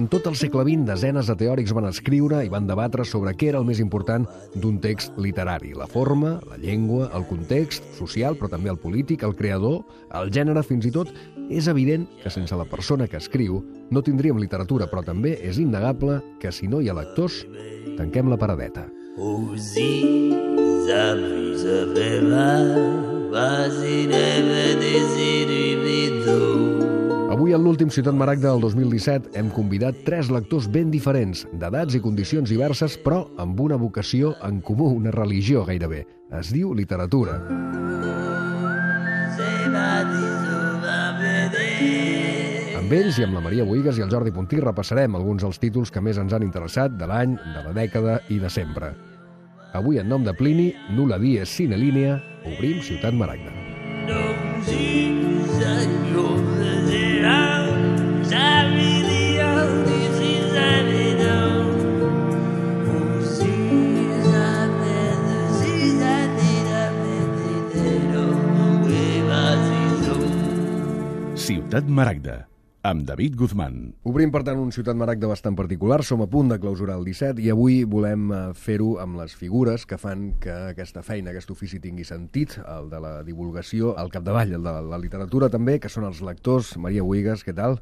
Durant tot el segle XX, desenes de teòrics van escriure i van debatre sobre què era el més important d'un text literari. La forma, la llengua, el context social, però també el polític, el creador, el gènere, fins i tot. És evident que sense la persona que escriu no tindríem literatura, però també és innegable que si no hi ha lectors, tanquem la paradeta. Avui, en l'últim Ciutat Maragda del 2017, hem convidat 3 lectors ben diferents, d'edats i condicions diverses, però amb una vocació en comú, una religió gairebé. Es diu literatura. Amb ells i amb la Maria Bohigas i el Jordi Puntí repassarem alguns dels títols que més ens han interessat de l'any, de la dècada i de sempre. Avui, en nom de Plini, nulla dies sine linea, obrim Ciutat Maragda. Ciutat Maragda, amb David Guzmán. Obrim, per tant, un Ciutat Maragda bastant particular. Som a punt de clausurar el 17 i avui volem fer-ho amb les figures que fan que aquesta feina, aquest ofici tingui sentit, el de la divulgació, al capdavall, el de la literatura també, que són els lectors. Maria Bohigas, què tal?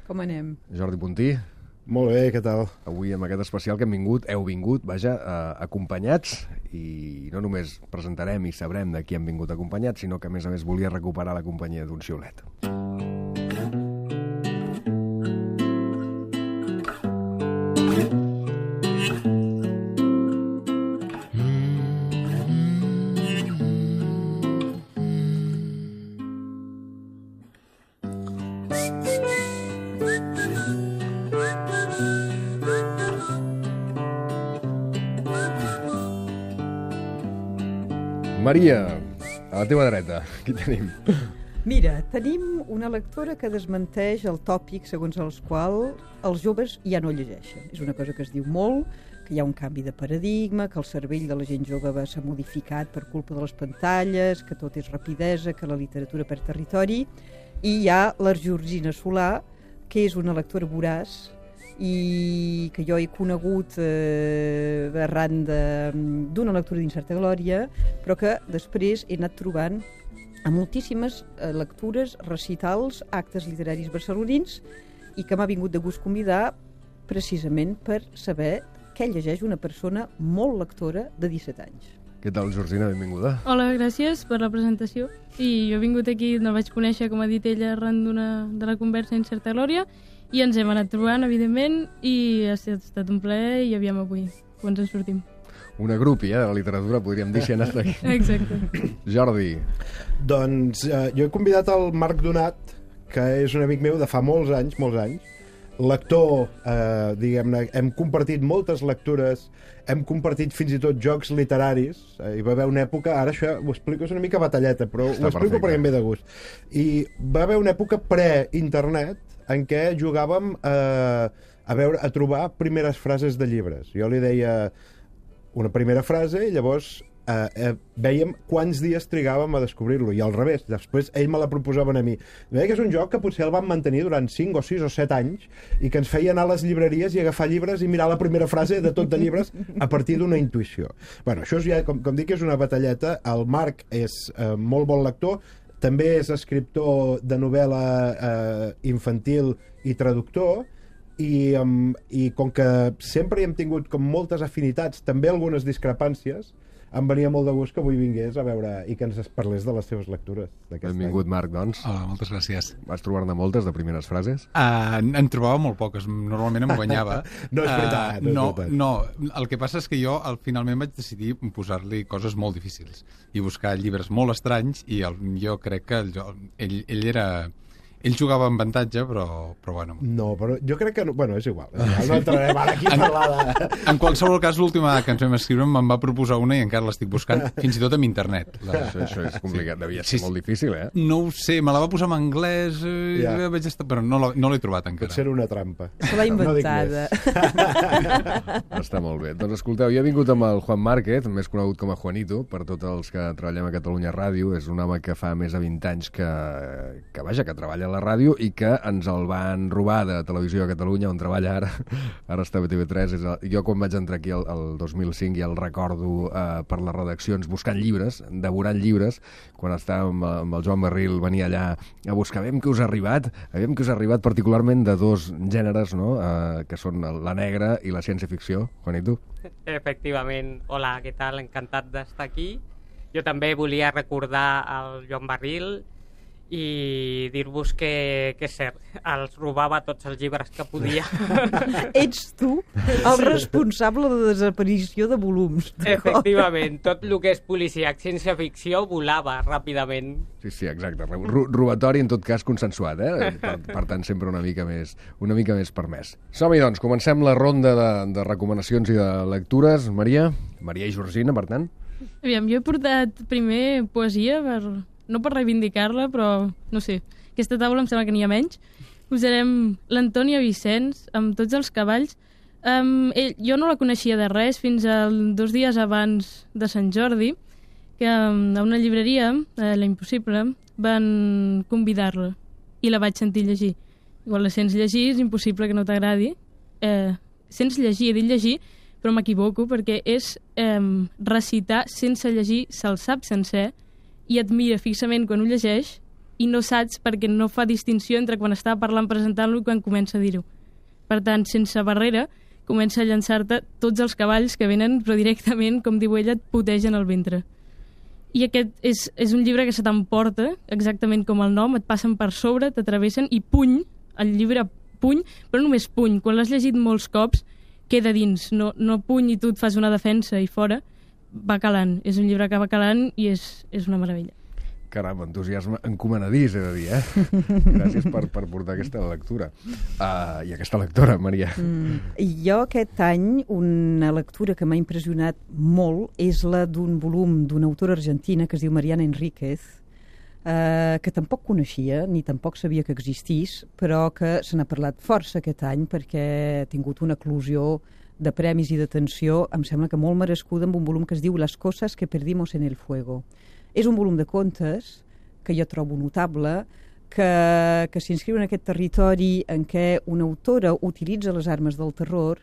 Com anem? Jordi Puntí? Molt bé, què tal? Avui, amb aquest especial que heu vingut, acompanyats, i no només presentarem i sabrem de qui hem vingut acompanyats, sinó que, a més, volia recuperar la companyia d'un xiulet. Maria, a la teva dreta, qui tenim? Mira, tenim una lectora que desmenteix el tòpic segons el qual els joves ja no llegeixen. És una cosa que es diu molt, que hi ha un canvi de paradigma, que el cervell de la gent jove s'ha modificat per culpa de les pantalles, que tot és rapidesa, que la literatura perd territori, i hi ha la Georgina Solà, que és una lectora voraç i que jo he conegut arran d'una lectura d'Incerta Glòria, però que després he anat trobant a moltíssimes lectures, recitals, actes literaris barcelonins, i que m'ha vingut de gust convidar precisament per saber què llegeix una persona molt lectora de 17 anys. Què tal, Georgina? Benvinguda. Hola, gràcies per la presentació. I jo he vingut aquí, no vaig conèixer, com ha dit ella, arran de la conversa Incerta Glòria, i ens hem anat trobant, evidentment, i ha estat un plaer, i aviam avui, quan ens en sortim. Una grupi, de la literatura, podríem dir, si ha anat aquí. Exacte. Jordi. Doncs jo he convidat el Marc Donat, que és un amic meu de fa molts anys, lector, diguem-ne, hem compartit moltes lectures, hem compartit fins i tot jocs literaris, hi va haver una època, ara això ho explico, és una mica batalleta, però ho explico perquè em ve de gust. I va haver una època pre-internet en què jugàvem a trobar primeres frases de llibres. Jo li deia una primera frase i llavors vèiem quants dies trigàvem a descobrir-lo, i al revés, després ell me la proposaven a mi. Veia que és un joc que potser el vam mantenir durant 5 o 6 o 7 anys i que ens feia anar a les llibreries i agafar llibres i mirar la primera frase de tot de llibres a partir d'una intuïció. Bueno, això és ja, com dic, és una batalleta. El Marc és molt bon lector, també és escriptor de novel·la infantil i traductor, i com que sempre hi hem tingut com moltes afinitats, també algunes discrepàncies, em venia molt de gust que avui vingués a veure i que ens parlés de les seves lectures. Benvingut, Marc, doncs. Hola, moltes gràcies. Vas trobar-ne moltes de primeres frases? En trobava molt poques, normalment em guanyava. No és veritat, no, el que passa és que jo finalment vaig decidir posar-li coses molt difícils i buscar llibres molt estranys, i jo crec que ell era... Ell jugava amb avantatge, però bueno... No, però jo crec que... Bueno, és igual. No entrarem ara aquí a parlar de... En qualsevol cas, l'última que ens vam escriure me'n va proposar una i encara l'estic buscant, fins i tot amb internet. Això és complicat, devia ser molt difícil, eh? No ho sé, me la va posar en anglès, però no l'he trobat encara. Potser era una trampa. Se l'ha inventada. Està molt bé. Doncs escolteu, jo he vingut amb el Juan Márquez, més conegut com a Juanito, per tots els que treballem a Catalunya Ràdio. És un home que fa més de 20 anys que treballa a la ràdio i que ens el van robar de Televisió de Catalunya, on treballa ara està a TV3. Jo quan vaig entrar aquí el 2005 ja el recordo per les redaccions buscant llibres, devorant llibres, quan estàvem amb el Joan Barril, venia allà a buscar, aviam què us ha arribat particularment de dos gèneres, no? Que són la negra i la ciència-ficció. Juanito? Efectivament. Hola, què tal? Encantat d'estar aquí. Jo també volia recordar el Joan Barril i dir-vos que és cert, els robava tots els llibres que podia. Ets tu el responsable de desaparició de volums. Efectivament, tot el que és policíac, ciència-ficció, volava ràpidament. Sí, exacte. Robatori, en tot cas, consensuat, per tant, sempre una mica més permès. Som-hi, doncs, comencem la ronda de recomanacions i de lectures. Maria i Georgina, per tant. Aviam, jo he portat primer poesia, no per reivindicar-la, però no sé, aquesta taula em sembla que n'hi ha menys. Posarem l'Antònia Vicenç amb Tots els cavalls. Jo no la coneixia de res fins a 2 dies abans de Sant Jordi, que a una llibreria, La Impossible, van convidar-la i la vaig sentir llegir. Igual la sents llegir, és impossible que no t'agradi. Sents llegir, he dit llegir, però m'equivoco perquè és recitar sense llegir, se'l sap sencer i et mira fixament quan ho llegeix i no saps perquè no fa distinció entre quan està parlant presentant-lo i quan comença a dir-ho. Per tant, sense barrera, comença a llançar-te tots els cavalls que venen, però directament, com diu ella, et putegen el ventre. I aquest és un llibre que se t'emporta, exactament com el nom, et passen per sobre, t'atravessen i puny, el llibre puny, però només puny. Quan l'has llegit molts cops, queda dins, no puny i tu et fas una defensa i fora, va calant. És un llibre que va calant i és una meravella. Caram, entusiasme encomanadís, he de dir, Gràcies per portar aquesta lectura. I aquesta lectora, Maria. Jo aquest any una lectura que m'ha impressionat molt és la d'un volum d'una autora argentina que es diu Mariana Enríquez, que tampoc coneixia ni tampoc sabia que existís, però que se n'ha parlat força aquest any perquè ha tingut una eclosió de premis i d'atenció, em sembla que molt merescuda, amb un volum que es diu Las cosas que perdimos en el fuego. És un volum de contes que jo trobo notable, que s'inscriu en aquest territori en què una autora utilitza les armes del terror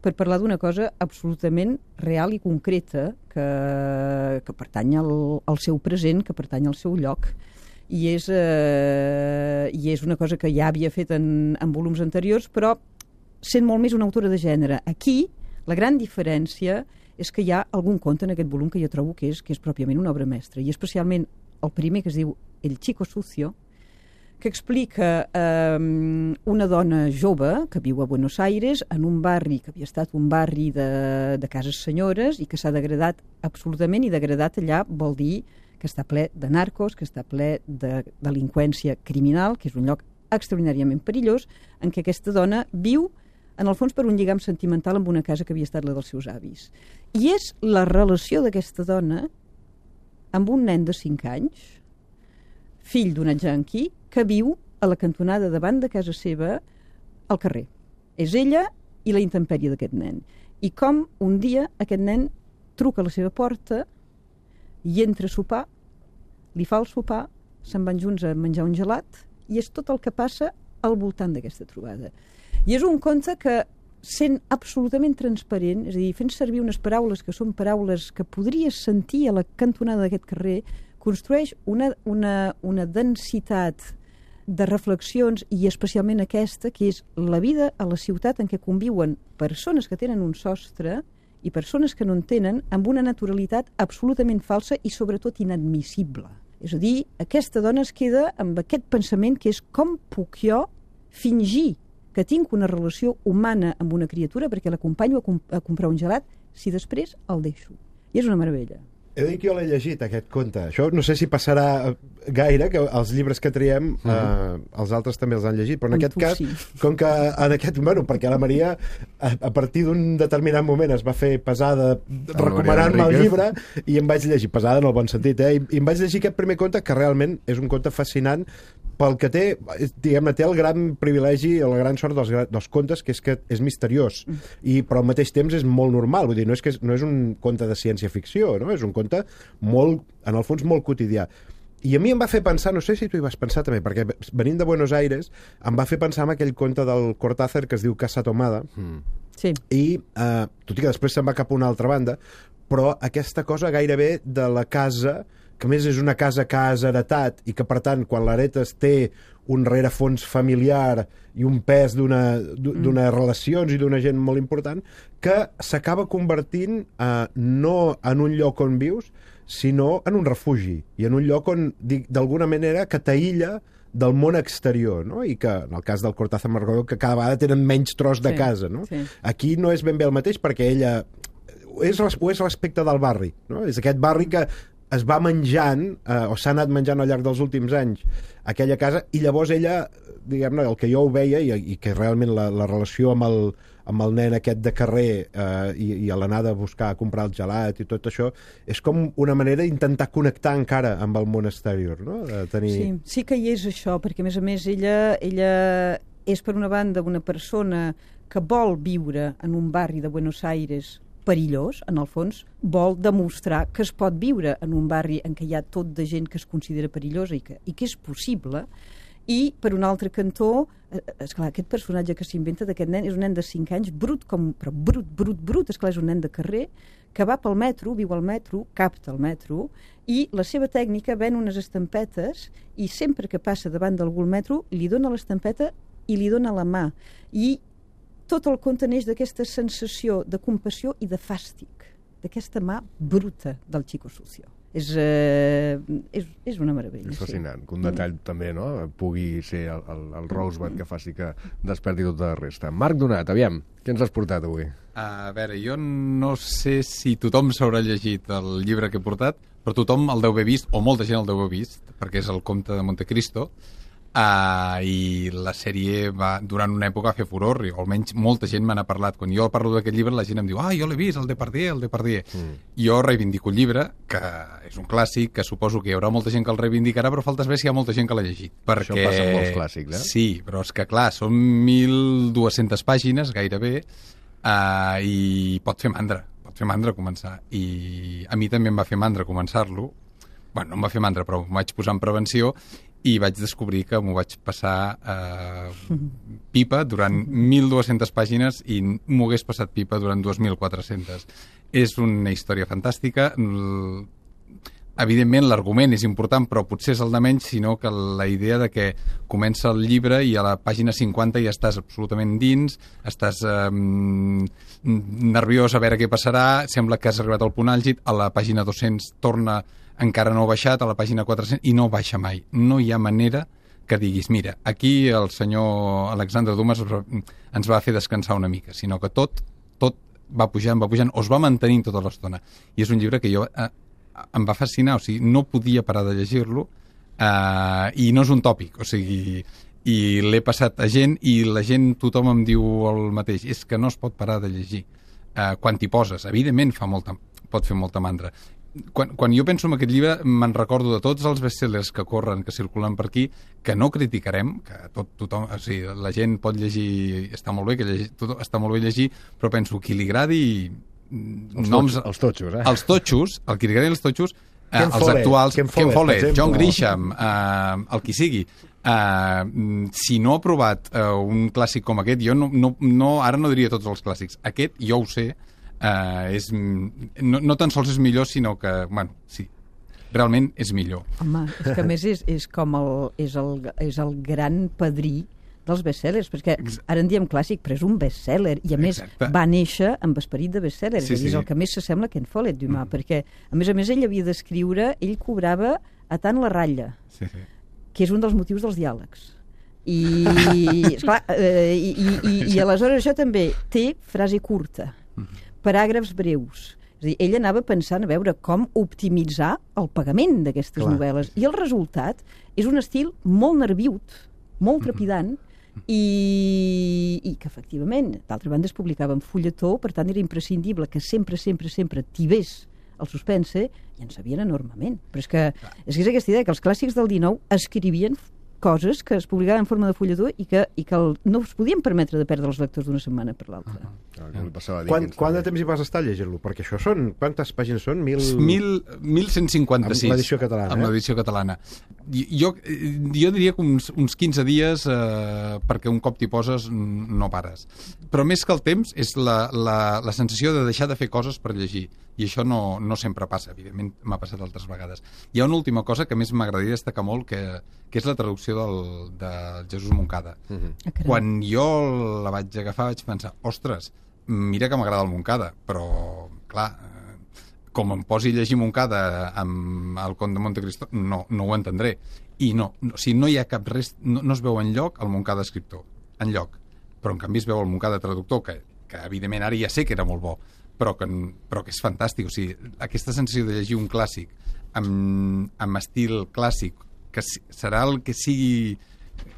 per parlar d'una cosa absolutament real i concreta que pertany al seu present, que pertany al seu lloc. I és una cosa que ja havia fet en volums anteriors, però sent molt més una autora de gènere. Aquí, la gran diferència és que hi ha algun conte en aquest volum que jo trobo que és pròpiament una obra mestra, i especialment el primer, que es diu El chico sucio, que explica una dona jove que viu a Buenos Aires en un barri que havia estat un barri de cases senyores i que s'ha degradat absolutament, i degradat allà vol dir que està ple de narcos, que està ple de delinqüència criminal, que és un lloc extraordinàriament perillós, en què aquesta dona viu en el fons per un lligam sentimental amb una casa que havia estat la dels seus avis. I és la relació d'aquesta dona amb un nen de 5 anys, fill d'una junkie, que viu a la cantonada davant de casa seva al carrer. És ella i la intempèrie d'aquest nen. I com un dia aquest nen truca a la seva porta i entra a sopar, li fa el sopar, se'n van junts a menjar un gelat, i és tot el que passa al voltant d'aquesta trobada. I és un conte que, sent absolutament transparent, és a dir, fent servir unes paraules que són paraules que podries sentir a la cantonada d'aquest carrer, construeix una densitat de reflexions, i especialment aquesta, que és la vida a la ciutat en què conviuen persones que tenen un sostre i persones que no en tenen, amb una naturalitat absolutament falsa i sobretot inadmissible. És a dir, aquesta dona es queda amb aquest pensament que és: com puc jo fingir que tinc una relació humana amb una criatura perquè l'acompanyo a comprar un gelat si després el deixo? I és una meravella. He de dir que jo l'he llegit, aquest conte. Això no sé si passarà gaire, que els llibres que triem, els altres també els han llegit, però en aquest cas, com que en aquest... Bueno, perquè la Maria, a partir d'un determinat moment, es va fer pesada recomanant-me el llibre, i em vaig llegir, pesada en el bon sentit, i em vaig llegir aquest primer conte, que realment és un conte fascinant, pel que té, diguem-ne, té el gran privilegi, la gran sort dels contes, que és misteriós, però al mateix temps és molt normal, vull dir, no és un conte de ciència-ficció, no? És un conte molt, en el fons, molt quotidià. I a mi em va fer pensar, no sé si tu hi vas pensar també, perquè venint de Buenos Aires em va fer pensar en aquell conte del Cortázar que es diu Casa Tomada, Sí. i tot i que després se'n va cap a una altra banda, però aquesta cosa gairebé de la casa, que a més és una casa que has heretat i que per tant quan l'heretes té un rerefons familiar i un pes d'unes relacions i d'una gent molt important, que s'acaba convertint no en un lloc on vius, sinó en un refugi, i en un lloc on, d'alguna manera, que t'aïlla del món exterior, no? I que, en el cas del Cortázar Margot, que cada vegada tenen menys tros de casa, no? Sí. Aquí no és ben bé el mateix, perquè ella és respecte del barri, no? És aquest barri que es va menjant, o s'ha anat menjant al llarg dels últims anys, aquella casa, i llavors ella, diguem-ne, el que jo ho veia, i que realment la relació amb el nen aquest de carrer i a l'anada a buscar, a comprar el gelat i tot això, és com una manera d'intentar connectar encara amb el món exterior, no? De tenir... Sí que hi és això, perquè a més ella és per una banda una persona que vol viure en un barri de Buenos Aires perillós, en el fons, vol demostrar que es pot viure en un barri en què hi ha tot de gent que es considera perillosa i que és possible. I, per un altre cantó, esclar, aquest personatge que s'inventa d'aquest nen és un nen de 5 anys, però brut, esclar, és un nen de carrer, que va pel metro, viu al metro, capta el metro, i la seva tècnica ven unes estampetes i sempre que passa davant d'algú al metro li dona l'estampeta i li dona la mà. I tot el conte neix d'aquesta sensació de compassió i de fàstic, d'aquesta mà bruta del Chico Sucio. És una meravella. És fascinant, que un detall també, no?, pugui ser el Rosebud que faci que desperti tota la resta. Marc Donat, aviam, què ens has portat avui? A veure, jo no sé si tothom s'haurà llegit el llibre que he portat, però tothom el deu haver vist, o molta gent el deu haver vist, perquè és el Comte de Montecristo, i la sèrie va, durant una època, fer furor, o almenys molta gent me n'ha parlat. Quan jo parlo d'aquest llibre, la gent em diu jo l'he vist, el Depardieu. Jo reivindico el llibre, que és un clàssic, que suposo que hi haurà molta gent que el reivindicarà, però falta saber si hi ha molta gent que l'ha llegit. Perquè... Això passa amb molts clàssics, eh? Sí, però és que, clar, són 1.200 pàgines, gairebé, i pot fer mandra començar. I a mi també em va fer mandra començar-lo. Bueno, no em va fer mandra, però m'ho vaig posar en prevenció i vaig descobrir que m'ho vaig passar pipa durant 1.200 pàgines i m'ho hagués passat pipa durant 2.400. És una història fantàstica. Evidentment, l'argument és important, però potser és el de menys, sinó que la idea de que comença el llibre i a la pàgina 50 ja estàs absolutament dins, estàs nerviós a veure què passarà, sembla que has arribat al punt àlgid, a la pàgina 200 torna, encara no ha baixat, a la pàgina 400, i no baixa mai. No hi ha manera que diguis, mira, aquí el senyor Alexandre Dumas ens va fer descansar una mica, sinó que tot va pujant, o es va mantenint tota l'estona. I és un llibre que jo em va fascinar, o sigui, no podia parar de llegir-lo, i no és un tòpic, o sigui, i l'he passat a gent, i la gent, tothom em diu el mateix, és que no es pot parar de llegir. Quan t'hi poses, evidentment pot fer molta mandra. Quan jo penso en aquest llibre me'n recordo de tots els bestsellers que corren, que circulen per aquí, que no criticarem, que tothom, o sigui, la gent pot llegir, està molt bé està molt bé llegir, però penso qui li agradi noms... Els totxos, eh? Els totxos, el que li agradi els totxos, els actuals, Ken Follett, John Grisham, el qui sigui. Si no ha provat un clàssic com aquest, jo ara no diria tots els clàssics. Aquest, jo ho sé, no tan sols és millor, sinó que, bueno, sí, realment és millor. Home, és que a més és el gran padrí dels bestsellers, perquè ara en diem clàssic, però és un bestseller, i a més va néixer amb esperit de bestseller, és el que més s'assembla a Ken Follett, Dumas, perquè a més ell havia d'escriure, ell cobrava a tant la ratlla, que és un dels motius dels diàlegs. I aleshores això també té frase curta, paràgrafs breus. És a dir, ell anava pensant a veure com optimitzar el pagament d'aquestes novel·les. I el resultat és un estil molt nerviut, molt trepidant, i que efectivament, d'altra banda es publicava en fulletó, per tant era imprescindible que sempre tibés el suspense, i en sabien enormement. Però és que és aquesta idea que els clàssics del XIX escrivien coses que es publicaven en forma de fulletó i que no es podien permetre de perdre els lectors d'una setmana per l'altra. Quant de temps hi vas estar llegint-lo? Perquè això són... Quantes pàgines són? 1.156. Amb l'edició catalana. Amb l'edició catalana. Jo diria que uns 15 dies, perquè un cop t'hi poses no pares. Però més que el temps és la sensació de deixar de fer coses per llegir. I això no sempre passa, evidentment m'ha passat altres vegades. Hi ha una última cosa que més m'agradaria destacar molt, que és la traducció de Jesús Moncada. Quan jo la vaig agafar vaig pensar, ostres, mira que m'agrada el Moncada, però, clar, com em posi a llegir Moncada amb el Conde de Montecristo, no ho entendré. I no hi ha cap res, no es veu enlloc el Moncada escriptor, enlloc. Però en canvi es veu el Moncada traductor, que evidentment ara ja sé que era molt bo, però que és fantàstic. O sigui, aquesta sensació de llegir un clàssic amb estil clàssic, que serà el que sigui...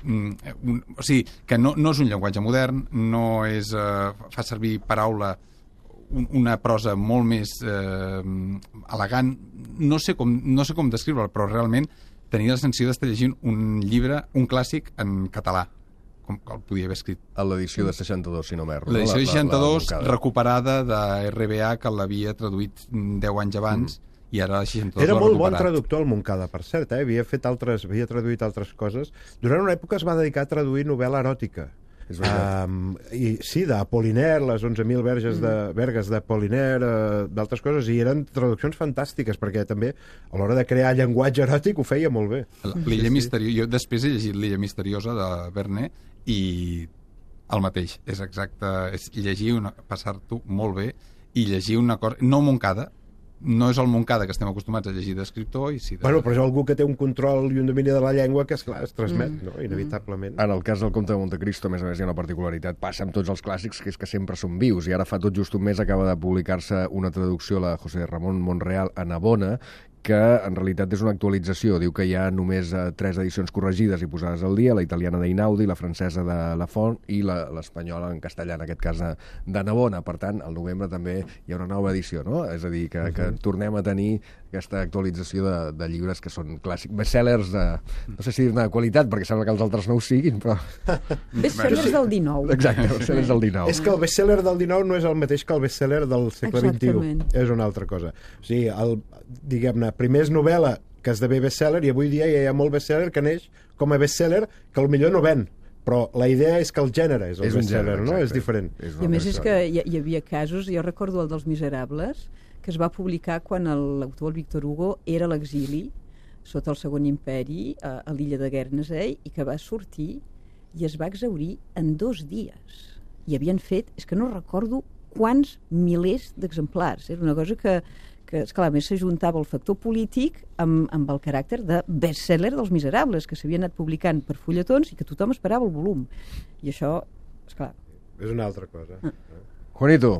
o sigui, que no és un llenguatge modern, no és... fa servir paraula, una prosa molt més elegant. No sé com descriure-la, però realment tenia la sensació d'estar llegint un llibre, un clàssic en català, com el podia haver escrit. A l'edició de 62, si no m'erro. L'edició de 62, recuperada de RBA, que l'havia traduït 10 anys abans, i ara la 62 era l'ha molt recuperat. bon traductor el Moncada, per cert, havia traduït altres coses. Durant una època es va dedicar a traduir novel·la eròtica. I sí, d'Apollinaire, les 11.000 vergues d'Apollinaire, d'altres coses, i eren traduccions fantàstiques, perquè també a l'hora de crear llenguatge eròtic ho feia molt bé. L'Illa Misteriosa, jo després he llegit l'Illa Misteriosa de Verne i el mateix, és exacte, és llegir passar-t'ho molt bé i llegir una cosa, no Moncada, no és el Moncada que estem acostumats a llegir d'escriptor. Bueno, però és algú que té un control i un domini de la llengua que, esclar, es transmet, no? Inevitablement. En el cas del Comte de Montecristo, a més hi ha una particularitat, passa amb tots els clàssics, que és que sempre són vius, i ara fa tot just un mes acaba de publicar-se una traducció, la de José Ramón Monreal, a Navona, que en realitat és una actualització. Diu que hi ha només 3 edicions corregides i posades al dia, la italiana d'Einaudi, la francesa de Lafont i l'espanyola en castellà, en aquest cas de Navona. Per tant, al novembre també hi ha una nova edició, no? És a dir, que tornem a tenir aquesta actualització de llibres que són clàssics, bestsellers no sé si dir-ne de qualitat, perquè sembla que els altres no ho siguin, però... Bestsellers del 19. Exacte, bestsellers del 19. És que el bestseller del 19 no és el mateix que el bestseller del segle XXI. És una altra cosa. O sigui, diguem-ne, primer és novel·la que esdevé bestseller, i avui dia ja hi ha molt bestseller que neix com a bestseller que potser no ven, però la idea és que el gènere és el bestseller, no? És diferent. I a més és que hi havia casos, jo recordo el dels Miserables, que es va publicar quan l'autor, el Víctor Hugo, era a l'exili sota el Segon Imperi a l'illa de Guernesey, i que va sortir i es va exhaurir en 2 dies. I havien fet, és que no recordo quants milers d'exemplars. Era una cosa que esclar, a més s'ajuntava el factor polític amb el caràcter de bestseller dels Miserables, que s'havien anat publicant per fulletons i que tothom esperava el volum. I això, esclar... És una altra cosa. Juanito,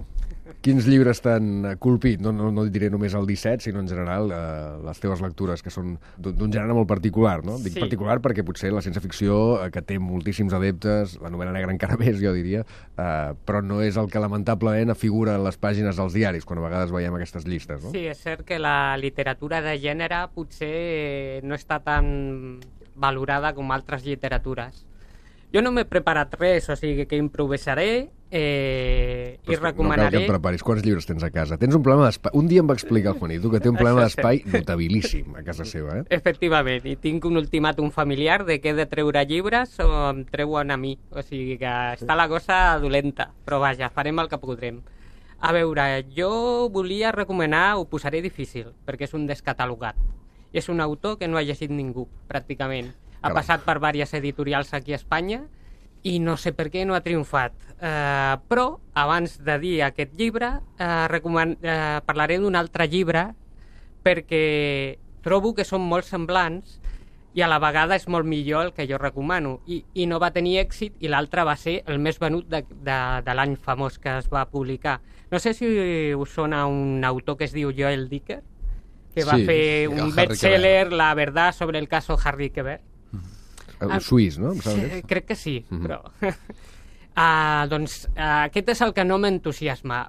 quins llibres t'han colpit? No diré només el 17, sinó en general les teves lectures, que són d'un gènere molt particular, no? Dic particular perquè potser la ciència-ficció, que té moltíssims adeptes, la novel·la negra encara més, jo diria, però no és el que lamentablement figura en les pàgines dels diaris, quan a vegades veiem aquestes llistes, no? Sí, és cert que la literatura de gènere potser no està tan valorada com altres literatures. Jo no m'he preparat res, o sigui que improvisaré i recomanaré... No cal que em preparis. Quants llibres tens a casa? Tens un problema d'espai. Un dia em va explicar el Juanito que té un problema d'espai notabilíssim a casa seva, eh? Efectivament, i tinc un ultimàtum familiar de que he de treure llibres o em treuen a mi. O sigui que està la cosa dolenta, però vaja, farem el que podrem. A veure, jo volia recomanar, ho posaré difícil, perquè és un descatalogat. És un autor que no ha llegit ningú, pràcticament. Ha passat per diverses editorials aquí a Espanya i no sé per què no ha triomfat. Però, abans de dir aquest llibre, parlaré d'un altre llibre perquè trobo que són molt semblants i a la vegada és molt millor el que jo recomano. I no va tenir èxit i l'altre va ser el més venut de l'any famós que es va publicar. No sé si us sona un autor que es diu Joel Dicker, que va fer un bestseller, La verdad sobre el caso Harry Quebert. El suís, no? Crec que sí, però... doncs aquest és el que no m'entusiasma.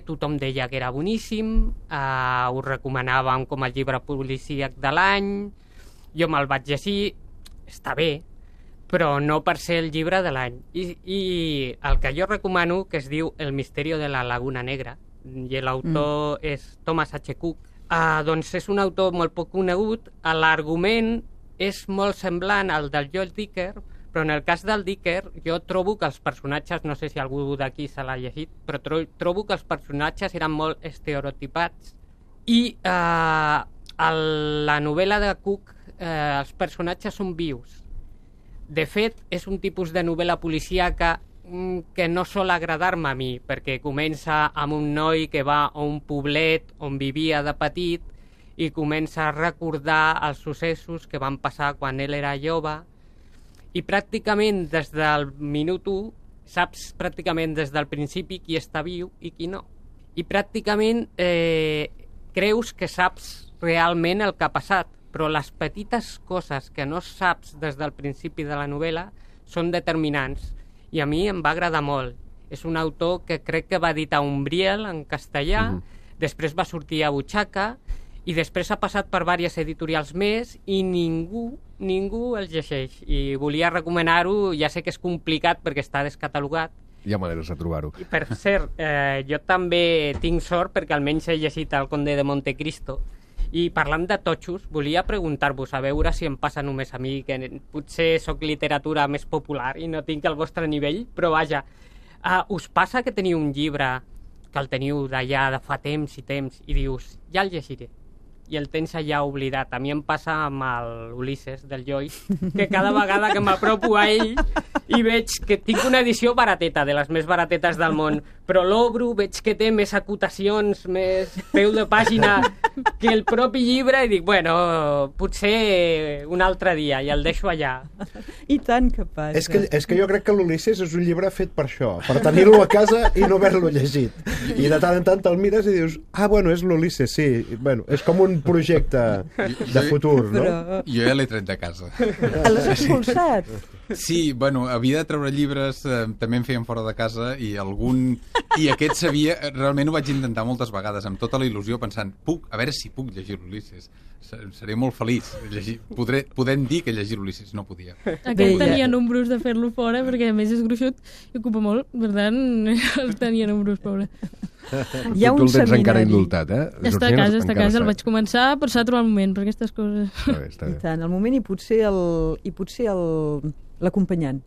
Tothom deia que era boníssim, ho recomanàvem com el llibre policíac de l'any, jo me'l vaig llegir, està bé, però no per ser el llibre de l'any. I el que jo recomano, que es diu El misteri de la Laguna Negra, i l'autor és Thomas H. Cook, doncs és un autor molt poc conegut. L'argument és molt semblant al del Joel Dicker, però en el cas del Dicker jo trobo que els personatges, no sé si algú d'aquí se l'ha llegit, però trobo que els personatges eren molt estereotipats i a la novel·la de Cook els personatges són vius. De fet, és un tipus de novel·la policíaca que no sol agradar-me a mi, perquè comença amb un noi que va a un poblet on vivia de petit i comença a recordar els successos que van passar quan ell era jove, i pràcticament des del minut 1 saps pràcticament des del principi qui està viu i qui no. I pràcticament creus que saps realment el que ha passat, però les petites coses que no saps des del principi de la novel·la són determinants. I a mi em va agradar molt. És un autor que crec que va editar Umbriel en castellà, després va sortir a Butxaca, i després ha passat per diverses editorials més i ningú el llegeix. I volia recomanar-ho, ja sé que és complicat perquè està descatalogat. Hi ha maneres de trobar-ho. I per cert, jo també tinc sort perquè almenys he llegit El Conde de Montecristo. I parlant de totxos, volia preguntar-vos a veure si em passa només a mi, que potser sóc literatura més popular i no tinc el vostre nivell, però vaja, us passa que teniu un llibre que el teniu d'allà de fa temps i temps i dius, ja el llegiré, i el tens allà oblidat? A mi em passa amb l'Ulisses del Joyce, que cada vegada que m'apropo a ell i veig que tinc una edició barateta, de les més baratetes del món, però l'obro, veig que té més acotacions, més peu de pàgina que el propi llibre, i dic, bueno, potser un altre dia, i el deixo allà. I tant que passa. És que jo crec que l'Ulisses és un llibre fet per això, per tenir-lo a casa i no haver-lo llegit. I de tant en tant te'l mires i dius, bueno, és l'Ulisses, sí. Bueno, és com un projecte de futur, no? Però... Jo ja l'he tret de casa. L'has expulsat? Sí, bueno, havia de treure llibres, també em feien fora de casa, i aquest sabia, realment ho vaig intentar moltes vegades, amb tota la il·lusió, pensant, a veure si puc llegir l'Ulisses. Seré molt feliç. Podem dir que llegir l'Ulisses no podia. Aquest tenia números de fer-lo fora, perquè a més és gruixut i ocupa molt, per tant, el tenia números, pobre. Hi ha tu un el tens seminari. encara indultat, eh? Està a casa, el vaig començar, però s'ha trobat el moment per aquestes coses. Està bé. I tant, el moment i potser l'acompanyant.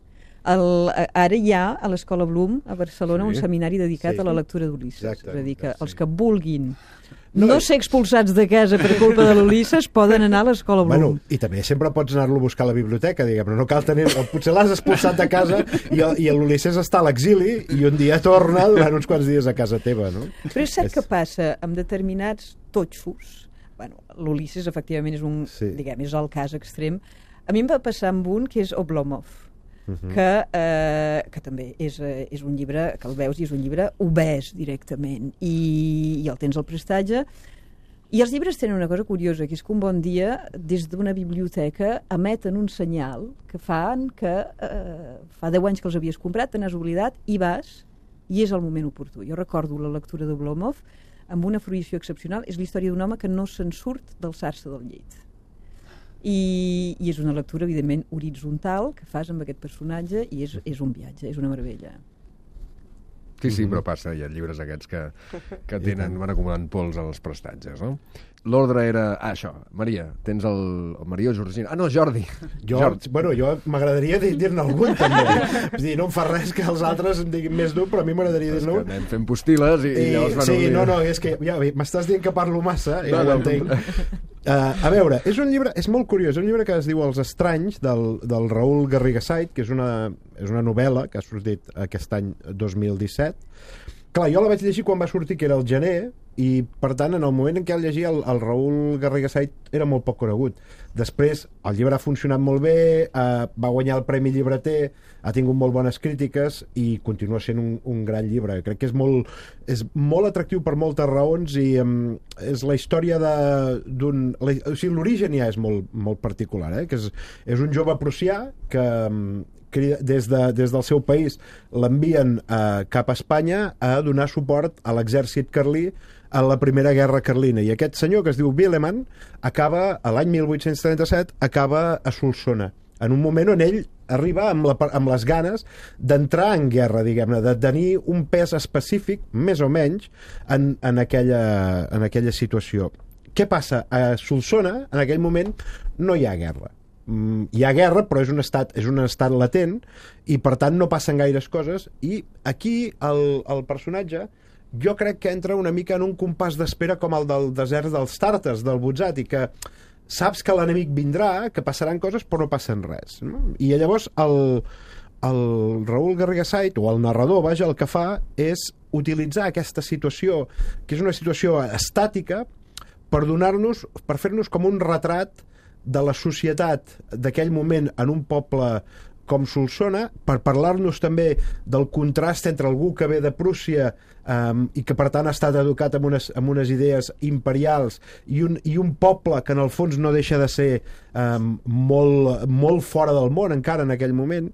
Ara hi ha a l'Escola Bloom a Barcelona un seminari dedicat a la lectura d'Ulisses. És a dir, que els que vulguin no ser expulsats de casa per culpa de l'Ulisses poden anar a l'Escola Bloom. Bueno, i també sempre pots anar-lo a buscar a la biblioteca, diguem, no cal tenir... Potser l'has expulsat de casa i l'Ulisses està a l'exili i un dia torna durant uns quants dies a casa teva, no? Però és cert que passa amb determinats totxos. Bueno, l'Ulisses efectivament és diguem, és el cas extrem. A mi em va passar amb un que és Oblomov, que també és un llibre que el veus i és un llibre obès directament i el tens al prestatge. I els llibres tenen una cosa curiosa, que és que un bon dia des d'una biblioteca emeten un senyal que fan que fa 10 anys que els havies comprat, te n'has oblidat i vas, i és el moment oportú. Jo recordo la lectura d'Oblomov amb una fruïció excepcional. És la història d'un home que no se'n surt d'alçar-se del llit. I és una lectura, evidentment, horitzontal que fas amb aquest personatge i és un viatge, és una meravella. Sí, però passa, hi ha llibres aquests que van acumulant pols als prestatges, no? L'ordre era... això, Maria, tens el Maria o Georgina? No, Jordi. Bueno, jo m'agradaria dir-ne algun, també. És dir, no em fa res que els altres em diguin més d'un, però a mi m'agradaria dir-ne un. Anem fent postil·les i llavors van oblidant. No, és que ja m'estàs dient que parlo massa, ja ho entenc. A veure, és un llibre, és molt curiós, és un llibre que es diu Els estranys, del Raül Garrigasait, que és una novel·la que ha sortit aquest any 2017. Clar, jo la vaig llegir quan va sortir, que era el gener, i per tant en el moment en què el llegia el Raül Garrigasait era molt poc conegut. Després el llibre ha funcionat molt bé, va guanyar el Premi Llibreter, ha tingut molt bones crítiques i continua sent un gran llibre. Crec que és molt atractiu per moltes raons i és la història d'un... O sigui, l'origen ja és molt particular, que és un jove prussià que des del seu país l'envien cap a Espanya a donar suport a l'exèrcit carlí a la Primera Guerra Carlina, i aquest senyor que es diu Willeman acaba, a l'any 1837, acaba a Solsona, en un moment on ell arriba amb les ganes d'entrar en guerra, diguem-ne, de tenir un pes específic, més o menys, en aquella situació. Què passa? A Solsona, en aquell moment, no hi ha guerra. Hi ha guerra, però és un estat latent, i per tant no passen gaires coses, i aquí el personatge jo crec que entra una mica en un compàs d'espera com el del desert dels Tàrtars, del Butzati, que saps que l'enemic vindrà, que passaran coses, però no passen res. No? I llavors el Raül Garriga Sait, o el narrador, vaja, el que fa és utilitzar aquesta situació, que és una situació estàtica, per fer-nos com un retrat de la societat d'aquell moment en un poble com Solsona, per parlar-nos també del contrast entre algú que ve de Prússia i que per tant ha estat educat amb unes idees imperials i un poble que en el fons no deixa de ser molt fora del món encara en aquell moment,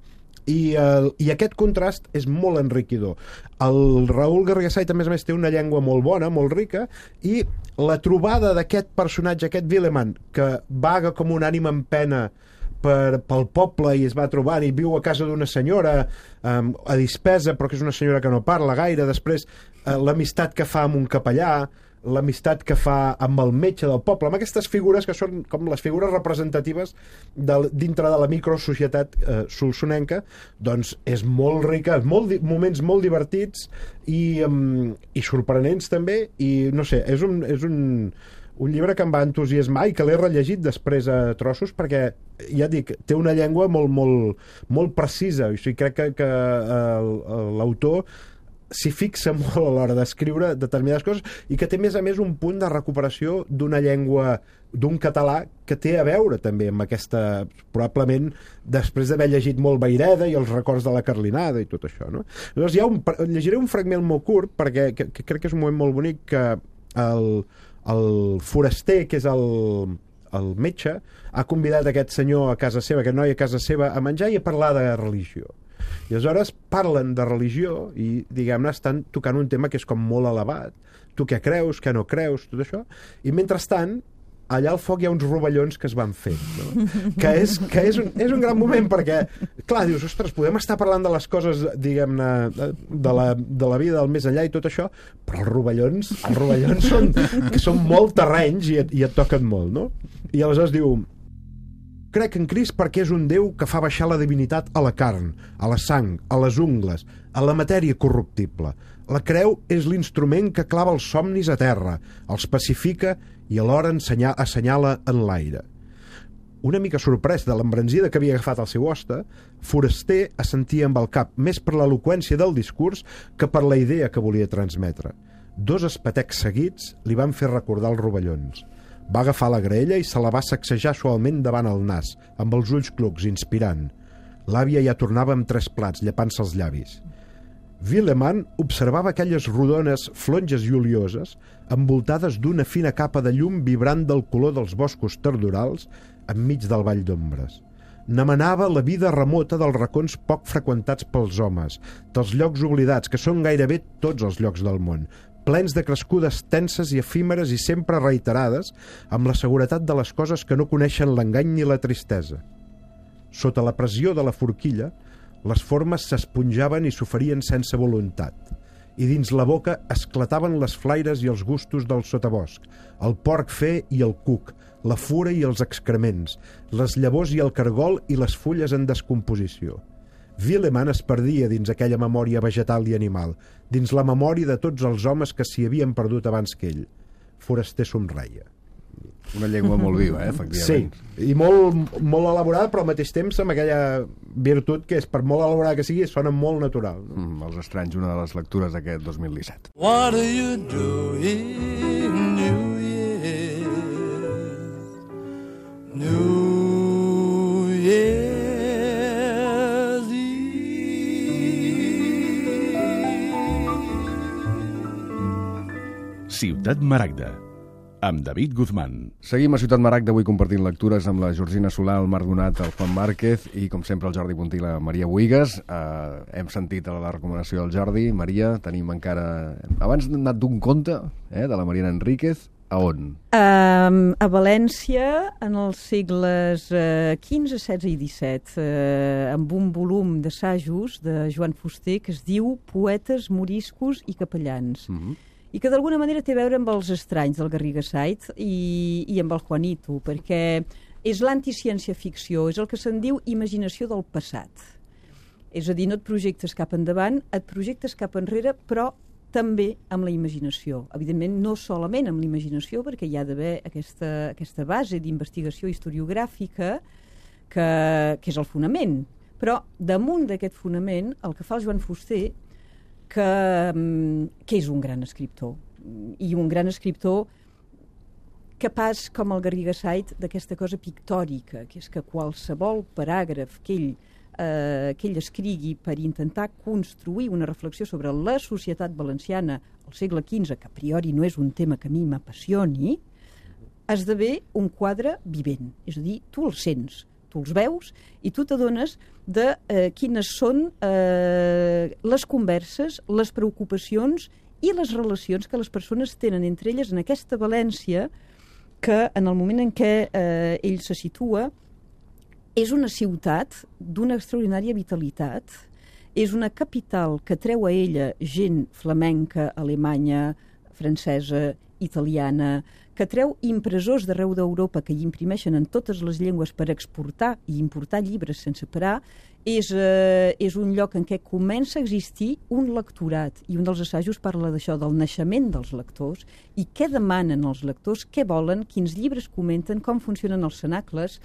i aquest contrast és molt enriquidor. El Raül Garriga Sait, a més, té una llengua molt bona, molt rica, i la trobada d'aquest personatge, aquest Villeman, que vaga com un ànima en pena pel poble i es va trobant i viu a casa d'una senyora a dispesa, però que és una senyora que no parla gaire, després l'amistat que fa amb un capellà, l'amistat que fa amb el metge del poble, amb aquestes figures que són com les figures representatives dintre de la microsocietat solsonenca, doncs és molt rica, moments molt divertits i sorprenents també, i no sé, és un llibre que em va entusiasmar i que l'he rellegit després a trossos, perquè, ja dic, té una llengua molt precisa. O sigui, crec que l'autor s'hi fixa molt a l'hora d'escriure determinades coses i que té, a més, un punt de recuperació d'una llengua, d'un català que té a veure també amb aquesta, probablement després d'haver llegit molt Vayreda i els records de la Carlinada i tot això, no? Llavors llegiré un fragment molt curt perquè crec que és un moment molt bonic, que el foraster, que és el metge, ha convidat aquest senyor a casa seva, aquest noi a casa seva, a menjar i a parlar de religió. I aleshores parlen de religió i, diguem-ne, estan tocant un tema que és com molt elevat. Tu què creus, què no creus, tot això. I mentrestant, allà al foc hi ha uns rovellons que es van fer, no? que és un gran moment, perquè, clar, dius, ostres, podem estar parlant de les coses, diguem-ne, de la vida del més enllà i tot això, però els rovellons són molt terrenys i et toquen molt, no? I aleshores diu: crec en Crist perquè és un Déu que fa baixar la divinitat a la carn, a la sang, a les ungles, a la matèria corruptible. La creu és l'instrument que clava els somnis a terra, els pacifica i alhora assenyala en l'aire. Una mica sorprès de l'embranzida que havia agafat el seu hoste, Foraster assentia amb el cap, més per l'eloqüència del discurs que per la idea que volia transmetre. 2 espetecs seguits li van fer recordar els rovellons. Va agafar la graella i se la va sacsejar suaument davant el nas, amb els ulls clucs, inspirant. L'àvia ja tornava amb 3 plats, llepant-se els llavis. Villeman observava aquelles rodones flonges i olioses envoltades d'una fina capa de llum vibrant del color dels boscos tardorals enmig del vall d'ombres. N'emanava la vida remota dels racons poc freqüentats pels homes, dels llocs oblidats, que són gairebé tots els llocs del món, plens de crescudes tenses i efímeres i sempre reiterades, amb la seguretat de les coses que no coneixen l'engany ni la tristesa. Sota la pressió de la forquilla, les formes s'esponjaven i s'oferien sense voluntat, i dins la boca esclataven les flaires i els gustos del sotabosc, el porc fer i el cuc, la fura i els excrements, les llavors i el cargol i les fulles en descomposició. Villeman es perdia dins aquella memòria vegetal i animal, dins la memòria de tots els homes que s'hi havien perdut abans que ell. Foraster somreia. Una llengua molt viva, efectivament. Sí, i molt elaborada, però al mateix temps amb aquella virtut que és, per molt elaborada que sigui, sona molt natural. Els estranys, una de les lectures d'aquest 2017. What are you doing, New Year? New Year's Eve. Ciutat Maragda, amb David Guzmán. Seguim a Ciutat Maragda, avui compartint lectures amb la Georgina Solà, el Marc Donat, el Juan Márquez i, com sempre, el Jordi Puntí i la Maria Buigas. Hem sentit la recomanació del Jordi. Maria, tenim encara... Abans hem anat d'un conte, de la Mariana Enríquez. A on? A València, en els segles XV, XVI i XVII, amb un volum d'assajos de Joan Fuster que es diu Poetes, moriscos i capellans. I que d'alguna manera té a veure amb els estranys del Garriga Sait i amb el Juanito, perquè és l'anticiència-ficció, és el que se'n diu imaginació del passat. És a dir, no et projectes cap endavant, et projectes cap enrere, però també amb la imaginació. Evidentment, no solament amb la imaginació, perquè hi ha d'haver aquesta base d'investigació historiogràfica que és el fonament. Però damunt d'aquest fonament, el que fa el Joan Fuster, que és un gran escriptor, i un gran escriptor capaç, com el Garriga Sait, d'aquesta cosa pictòrica, que és que qualsevol paràgraf que ell escrigui per intentar construir una reflexió sobre la societat valenciana al segle XV, que a priori no és un tema que a mi m'apassioni, esdevé un quadre vivent. És a dir, tu els sents, tu els veus i tu t'adones de quines són les converses, les preocupacions i les relacions que les persones tenen entre elles en aquesta València que en el moment en què ell se situa és una ciutat d'una extraordinària vitalitat, és una capital que treu a ella gent flamenca, alemanya, francesa, italiana, que treu impressors d'arreu d'Europa que hi imprimeixen en totes les llengües per exportar i importar llibres sense parar, és un lloc en què comença a existir un lectorat, i un dels assajos parla d'això, del naixement dels lectors, i què demanen els lectors, què volen, quins llibres comenten, com funcionen els cenacles.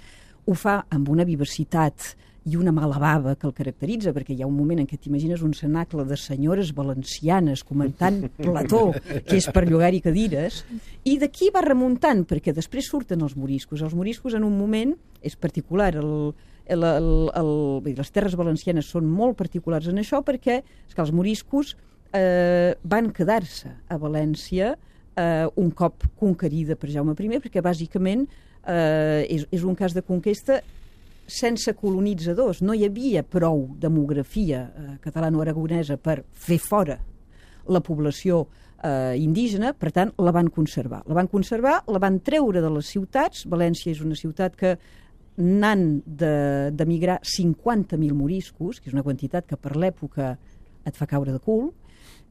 Ho fa amb una vivacitat i una mala bava que el caracteritza, perquè hi ha un moment en què t'imagines un cenacle de senyores valencianes comentant Plató, que és per llogar-hi cadires, i d'aquí va remuntant, perquè després surten els moriscos. Els moriscos en un moment és particular, les terres valencianes són molt particulars en això, perquè és que els moriscos van quedar-se a València un cop conquerida per Jaume I, perquè bàsicament és un cas de conquesta sense colonitzadors. No hi havia prou demografia catalano-aragonesa per fer fora la població indígena, per tant, la van conservar. La van treure de les ciutats. València és una ciutat que n'han d'emigrar 50.000 moriscos, que és una quantitat que per l'època et fa caure de cul,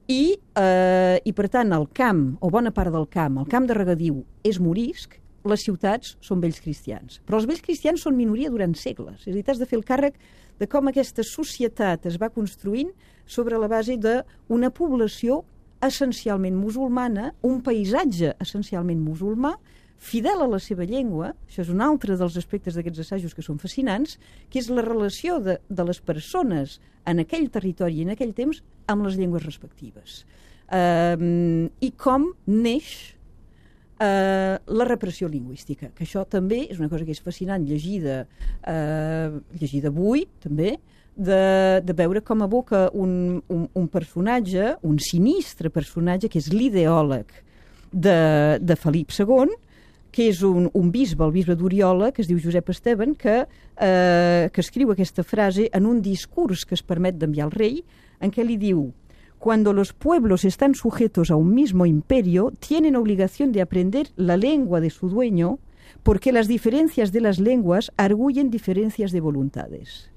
i per tant el camp, o bona part del camp, el camp de regadiu és morisc, les ciutats són vells cristians. Però els vells cristians són minoria durant segles. És a dir, t'has de fer el càrrec de com aquesta societat es va construint sobre la base d'una població essencialment musulmana, un paisatge essencialment musulmà, fidel a la seva llengua. Això és un altre dels aspectes d'aquests assajos que són fascinants, que és la relació de les persones en aquell territori i en aquell temps amb les llengües respectives. I com neix la repressió lingüística, que això també és una cosa que és fascinant llegir d'avui també, de veure com evoca un personatge, un sinistre personatge que és l'ideòleg de Felip II, que és un bisbe, el bisbe d'Oriola, que es diu Josep Esteban, que escriu aquesta frase en un discurs que es permet d'enviar al rei, en què li diu: cuando los pueblos están sujetos a un mismo imperio, tienen obligación de aprender la lengua de su dueño, porque las diferencias de las lenguas arguyen diferencias de voluntades.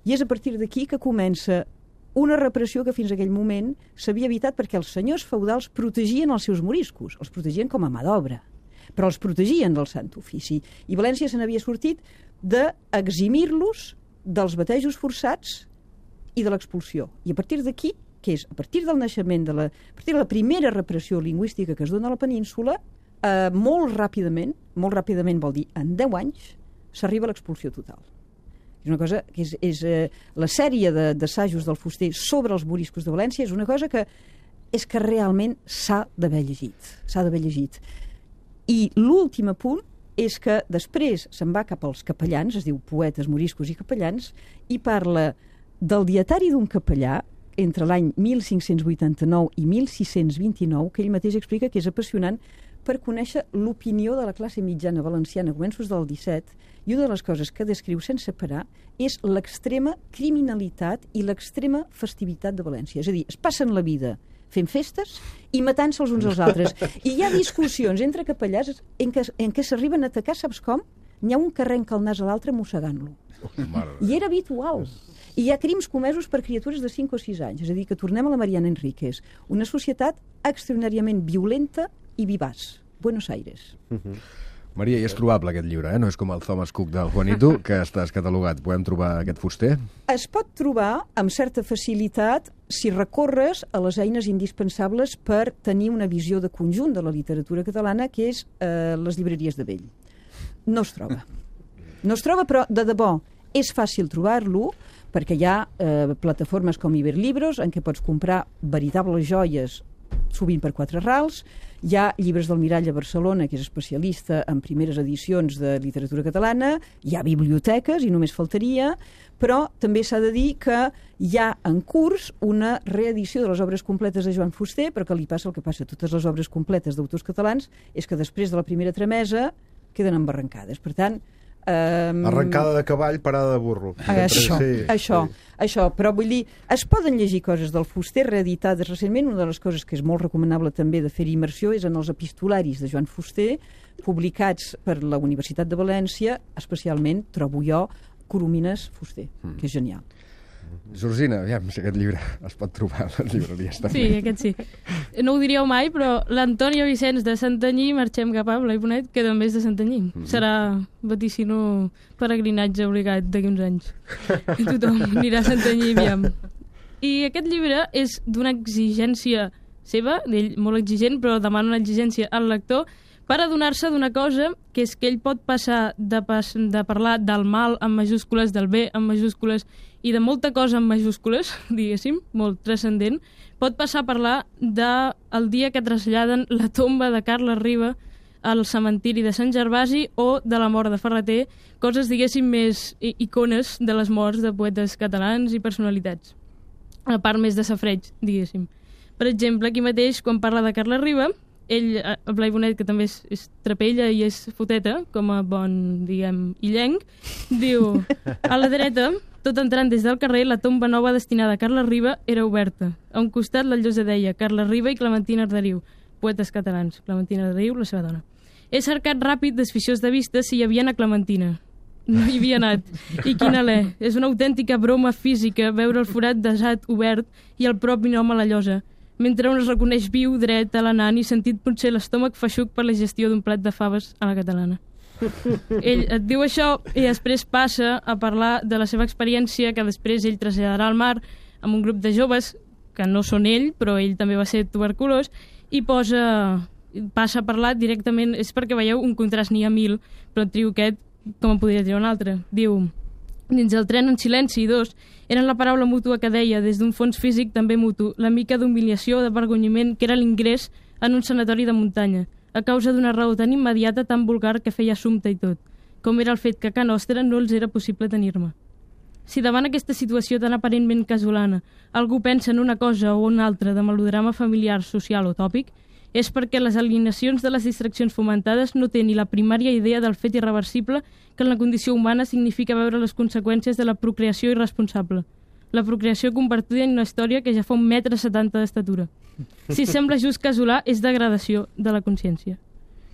I és a partir d'aquí que comença una repressió que fins a aquell moment s'havia evitat, perquè els senyors feudals protegien els seus moriscos, els protegien com a mà d'obra, però els protegien del Sant Ofici. I València se n'havia sortit d'eximir-los dels batejos forçats i de l'expulsió. I a partir d'aquí, que és a partir del naixement, a partir de la primera repressió lingüística que es dona a la península, molt ràpidament vol dir en 10 anys, s'arriba a l'expulsió total. És una cosa que és la sèrie d'assajos del Fuster sobre els moriscos de València és una cosa que és que realment s'ha d'haver llegit. I l'últim apunt és que després se'n va cap als capellans, es diu Poetes, moriscos i capellans, i parla del dietari d'un capellà entre l'any 1589 i 1629, que ell mateix explica que és apassionant per conèixer l'opinió de la classe mitjana valenciana a començos del 17, i una de les coses que descriu sense parar és l'extrema criminalitat i l'extrema festivitat de València. És a dir, es passen la vida fent festes i matant-se els uns als altres. I hi ha discussions entre capellars en què s'arriben a atacar, saps com? N'hi ha un que arrenca el nas a l'altre mossegant-lo. I era habitual. I hi ha crims comesos per criatures de 5 o 6 anys. És a dir, que tornem a la Mariana Enríquez. Una societat extraordinàriament violenta i vivaç. Buenos Aires. Maria, i és trobable aquest llibre, no és com el Thomas Cook del Juanito, que estàs catalogat. Podem trobar aquest fuster? Es pot trobar amb certa facilitat si recorres a les eines indispensables per tenir una visió de conjunt de la literatura catalana, que és les llibreries de vell. No es troba. No es troba, però de debò és fàcil trobar-lo, perquè hi ha plataformes com Iberlibros en què pots comprar veritables joies sovint per 4 rals. Hi ha Llibres del Mirall a Barcelona, que és especialista en primeres edicions de literatura catalana. Hi ha biblioteques, i només faltaria, però també s'ha de dir que hi ha en curs una reedició de les obres completes de Joan Fuster, però que li passa el que passa a totes les obres completes d'autors catalans, és que després de la primera tramesa queden embarrancades. Per tant, arrencada de cavall, parada de burro. Això. Però vull dir, es poden llegir coses del Fuster reeditades recentment. Una de les coses que és molt recomanable també de fer-hi immersió és en els epistolaris de Joan Fuster, publicats per la Universitat de València, especialment, trobo jo, Coromines Fuster, que és genial. Georgina, aviam si aquest llibre es pot trobar a les llibreries també. Sí, aquest sí. No ho diríeu mai, però l'Antònia Vicenç de Santanyí, marxem cap a Blai Bonet, que també és de Santanyí. Serà vaticino peregrinatge obligat d'aquí uns anys. I tothom anirà a Santanyí, aviam. I aquest llibre és d'una exigència seva, d'ell molt exigent, però demana una exigència al lector, per adonar-se d'una cosa, que és que ell pot passar de parlar del mal amb majúscules, del bé amb majúscules i de molta cosa amb majúscules, diguéssim, molt transcendent, pot passar a parlar del dia que traslladen la tomba de Carles Riba al cementiri de Sant Gervasi o de la mort de Ferreter, coses, diguéssim, més icones de les morts de poetes catalans i personalitats, a part més de safreig, diguéssim. Per exemple, aquí mateix, quan parla de Carles Riba, ell, el Blai Bonet, que també és trapella i és foteta, com a bon, diguem, illenc, diu: a la dreta, tot entrant des del carrer, la tomba nova destinada a Carles Riba era oberta. A un costat la llosa deia Carles Riba i Clementina Arderiu, poetes catalans. Clementina Arderiu, la seva dona. He cercat ràpid, desficiós de vista, si hi havia una Clementina. No hi havia anat. I quin alè. És una autèntica broma física veure el forat desat obert i el propi nom a la llosa, mentre un es reconeix viu, dret, alenant i sentit potser l'estómac feixuc per la gestió d'un plat de faves a la catalana. Ell et diu això i després passa a parlar de la seva experiència, que després ell traslladarà al mar amb un grup de joves, que no són ell, però ell també va ser tuberculós, i passa a parlar directament, és perquè veieu un contrast n'hi ha 1000, però trio aquest com en podria triar un altre. Diu: dins el tren en silenci, 2, eren la paraula mútua que deia, des d'un fons físic també mutu, la mica d'humiliació o d'avergonyiment que era l'ingrés en un sanatori de muntanya, a causa d'una raó tan immediata, tan vulgar, que feia assumpte i tot, com era el fet que a ca nostra no els era possible tenir-me. Si davant aquesta situació tan aparentment casolana algú pensa en una cosa o una altra de melodrama familiar, social o tòpic, és perquè les alienacions de les distraccions fomentades no té ni la primària idea del fet irreversible que en la condició humana significa veure les conseqüències de la procreació irresponsable. La procreació convertida en una història que ja fa 1,70 m d'estatura. Si sembla just casolà, és degradació de la consciència.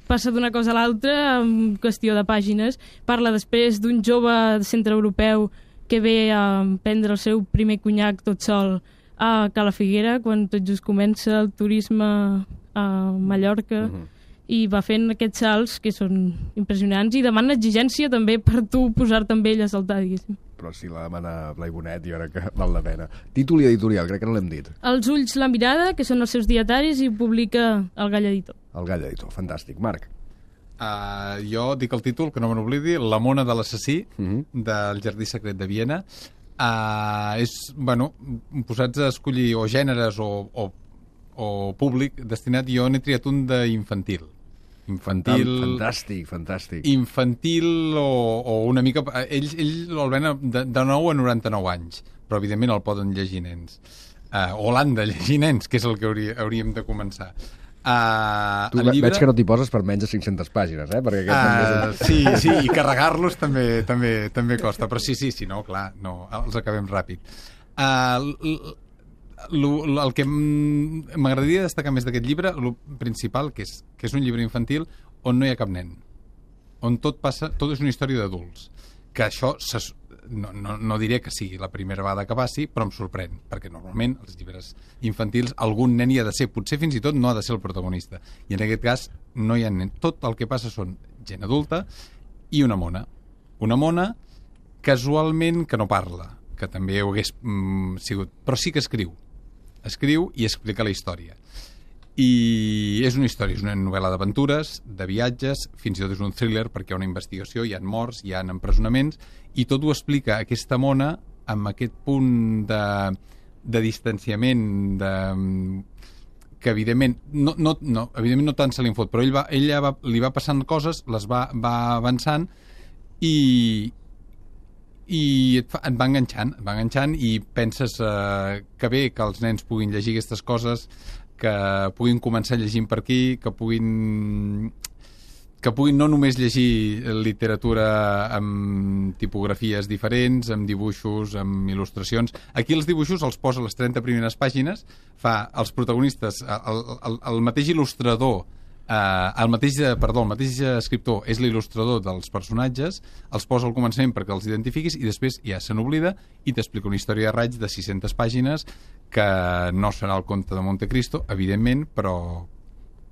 Passa d'una cosa a l'altra en qüestió de pàgines. Parla després d'un jove centreeuropeu que ve a prendre el seu primer conyac tot sol a Cala Figuera, quan tot just comença el turisme a Mallorca, i va fent aquests salts que són impressionants i demana exigència també per tu posar-te amb ell a saltar, diguéssim. Però si la demana Blai Bonet, jo crec que val la pena. Títol i editorial, crec que no l'hem dit. Els ulls, la mirada, que són els seus dietaris, i publica el Gall Editor. El Gall Editor, fantàstic. Marc? Jo dic el títol, que no me n'oblidi, La mona de l'assassí, del Jardí secret de Viena. Bueno, posats a escollir o gèneres o públic destinat, jo n'he triat un d'infantil. Fantàstic. Infantil o una mica... Ell el ven de 9 a 99 anys, però evidentment el poden llegir nens. O l'han de llegir nens, que és el que hauríem de començar. Tu veig que no t'hi poses per menys de 500 pàgines, perquè aquest sí, i carregar-los també costa, però sí, no, clar, no, els acabem ràpid. el que m'agradaria destacar més d'aquest llibre, el principal, que és un llibre infantil on no hi ha cap nen, on tot és una història d'adults, que això no diré que sigui la primera vegada que passi, però em sorprèn, perquè normalment els llibres infantils algun nen hi ha de ser, potser fins i tot no ha de ser el protagonista, i en aquest cas no hi ha nen. Tot el que passa són gent adulta i una mona casualment que no parla, que també ho hagués sigut, però sí que escriu i explica la història. I és una història, és una novel·la d'aventures, de viatges, fins i tot és un thriller perquè hi ha una investigació, hi ha morts, hi ha empresonaments, i tot ho explica aquesta mona amb aquest punt de distanciament, que evidentment evidentment no tant se li en fot, però ella li va passant coses, les va avançant i et va enganxant i penses que bé que els nens puguin llegir aquestes coses, que puguin començar llegint per aquí, que puguin no només llegir literatura amb tipografies diferents, amb dibuixos, amb il·lustracions. Aquí els dibuixos els posa a les 30 primeres pàgines, fa els protagonistes, el mateix il·lustrador, el mateix escriptor és l'il·lustrador dels personatges, els posa al començament perquè els identifiquis i després ja se n'oblida i t'explica una història de raig de 600 pàgines que no serà el conte de Montecristo, evidentment, però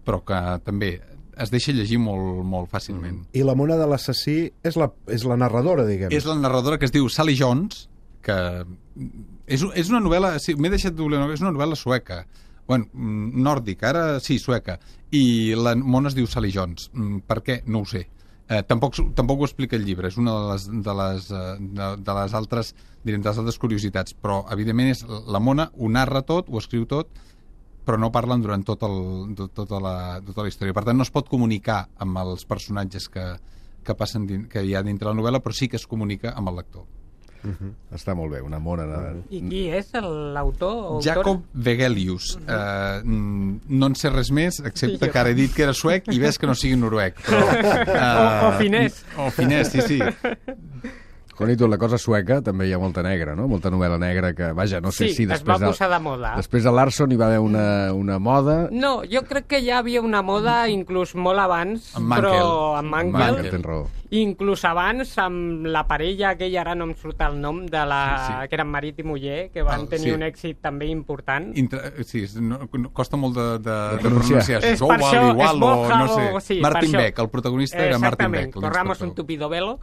que també es deixa llegir molt, molt fàcilment. I la mona de l'assassí és la narradora, diguem. És la narradora, que es diu Sally Jones, que és una novel·la, sí, m'he deixat d'oblidar, és una novel·la sueca, bueno, nòrdica, ara sí, sueca, i la mona es diu Sally Jones. Per què? No ho sé. Tampoc ho explica el llibre, és una de les altres curiositats, però evidentment la mona ho narra tot, ho escriu tot, però no parlen durant tota la història. Per tant, no es pot comunicar amb els personatges que hi ha dintre la novel·la, però sí que es comunica amb el lector. Està molt bé, una mona. I qui és l'autor? Jacob Vegelius. No en sé res més, excepte que ara he dit que era suec i ves que no sigui noruec. O finès. O finès, sí. Juanito, la cosa sueca també hi ha molta negra, no? Molta novel·la negra que, vaja, no sé si després... Sí, es va posar de moda. Després de Larson hi va haver una moda... No, jo crec que ja havia una moda inclús molt abans, però amb Mankel. Tens raó. Inclús abans amb la parella aquella, ara no em surt el nom, que eren marit i muller, que van tenir un èxit també important. Sí, costa molt de pronunciar. És per això, no sé. Martin Beck, el protagonista era Martin Beck. Exactament, corramos un tupido velo.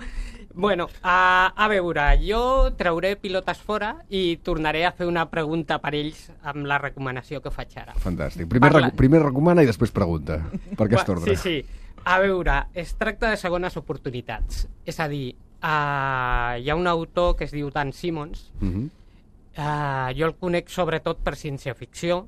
Bueno, a veure, jo trauré pilotes fora i tornaré a fer una pregunta per ells amb la recomanació que faig ara. Fantàstic. Primer recomana i després pregunta. Per aquest ordre. Sí. A veure, es tracta de segones oportunitats. És a dir, hi ha un autor que es diu Dan Simmons. Jo el conec sobretot per ciència-ficció,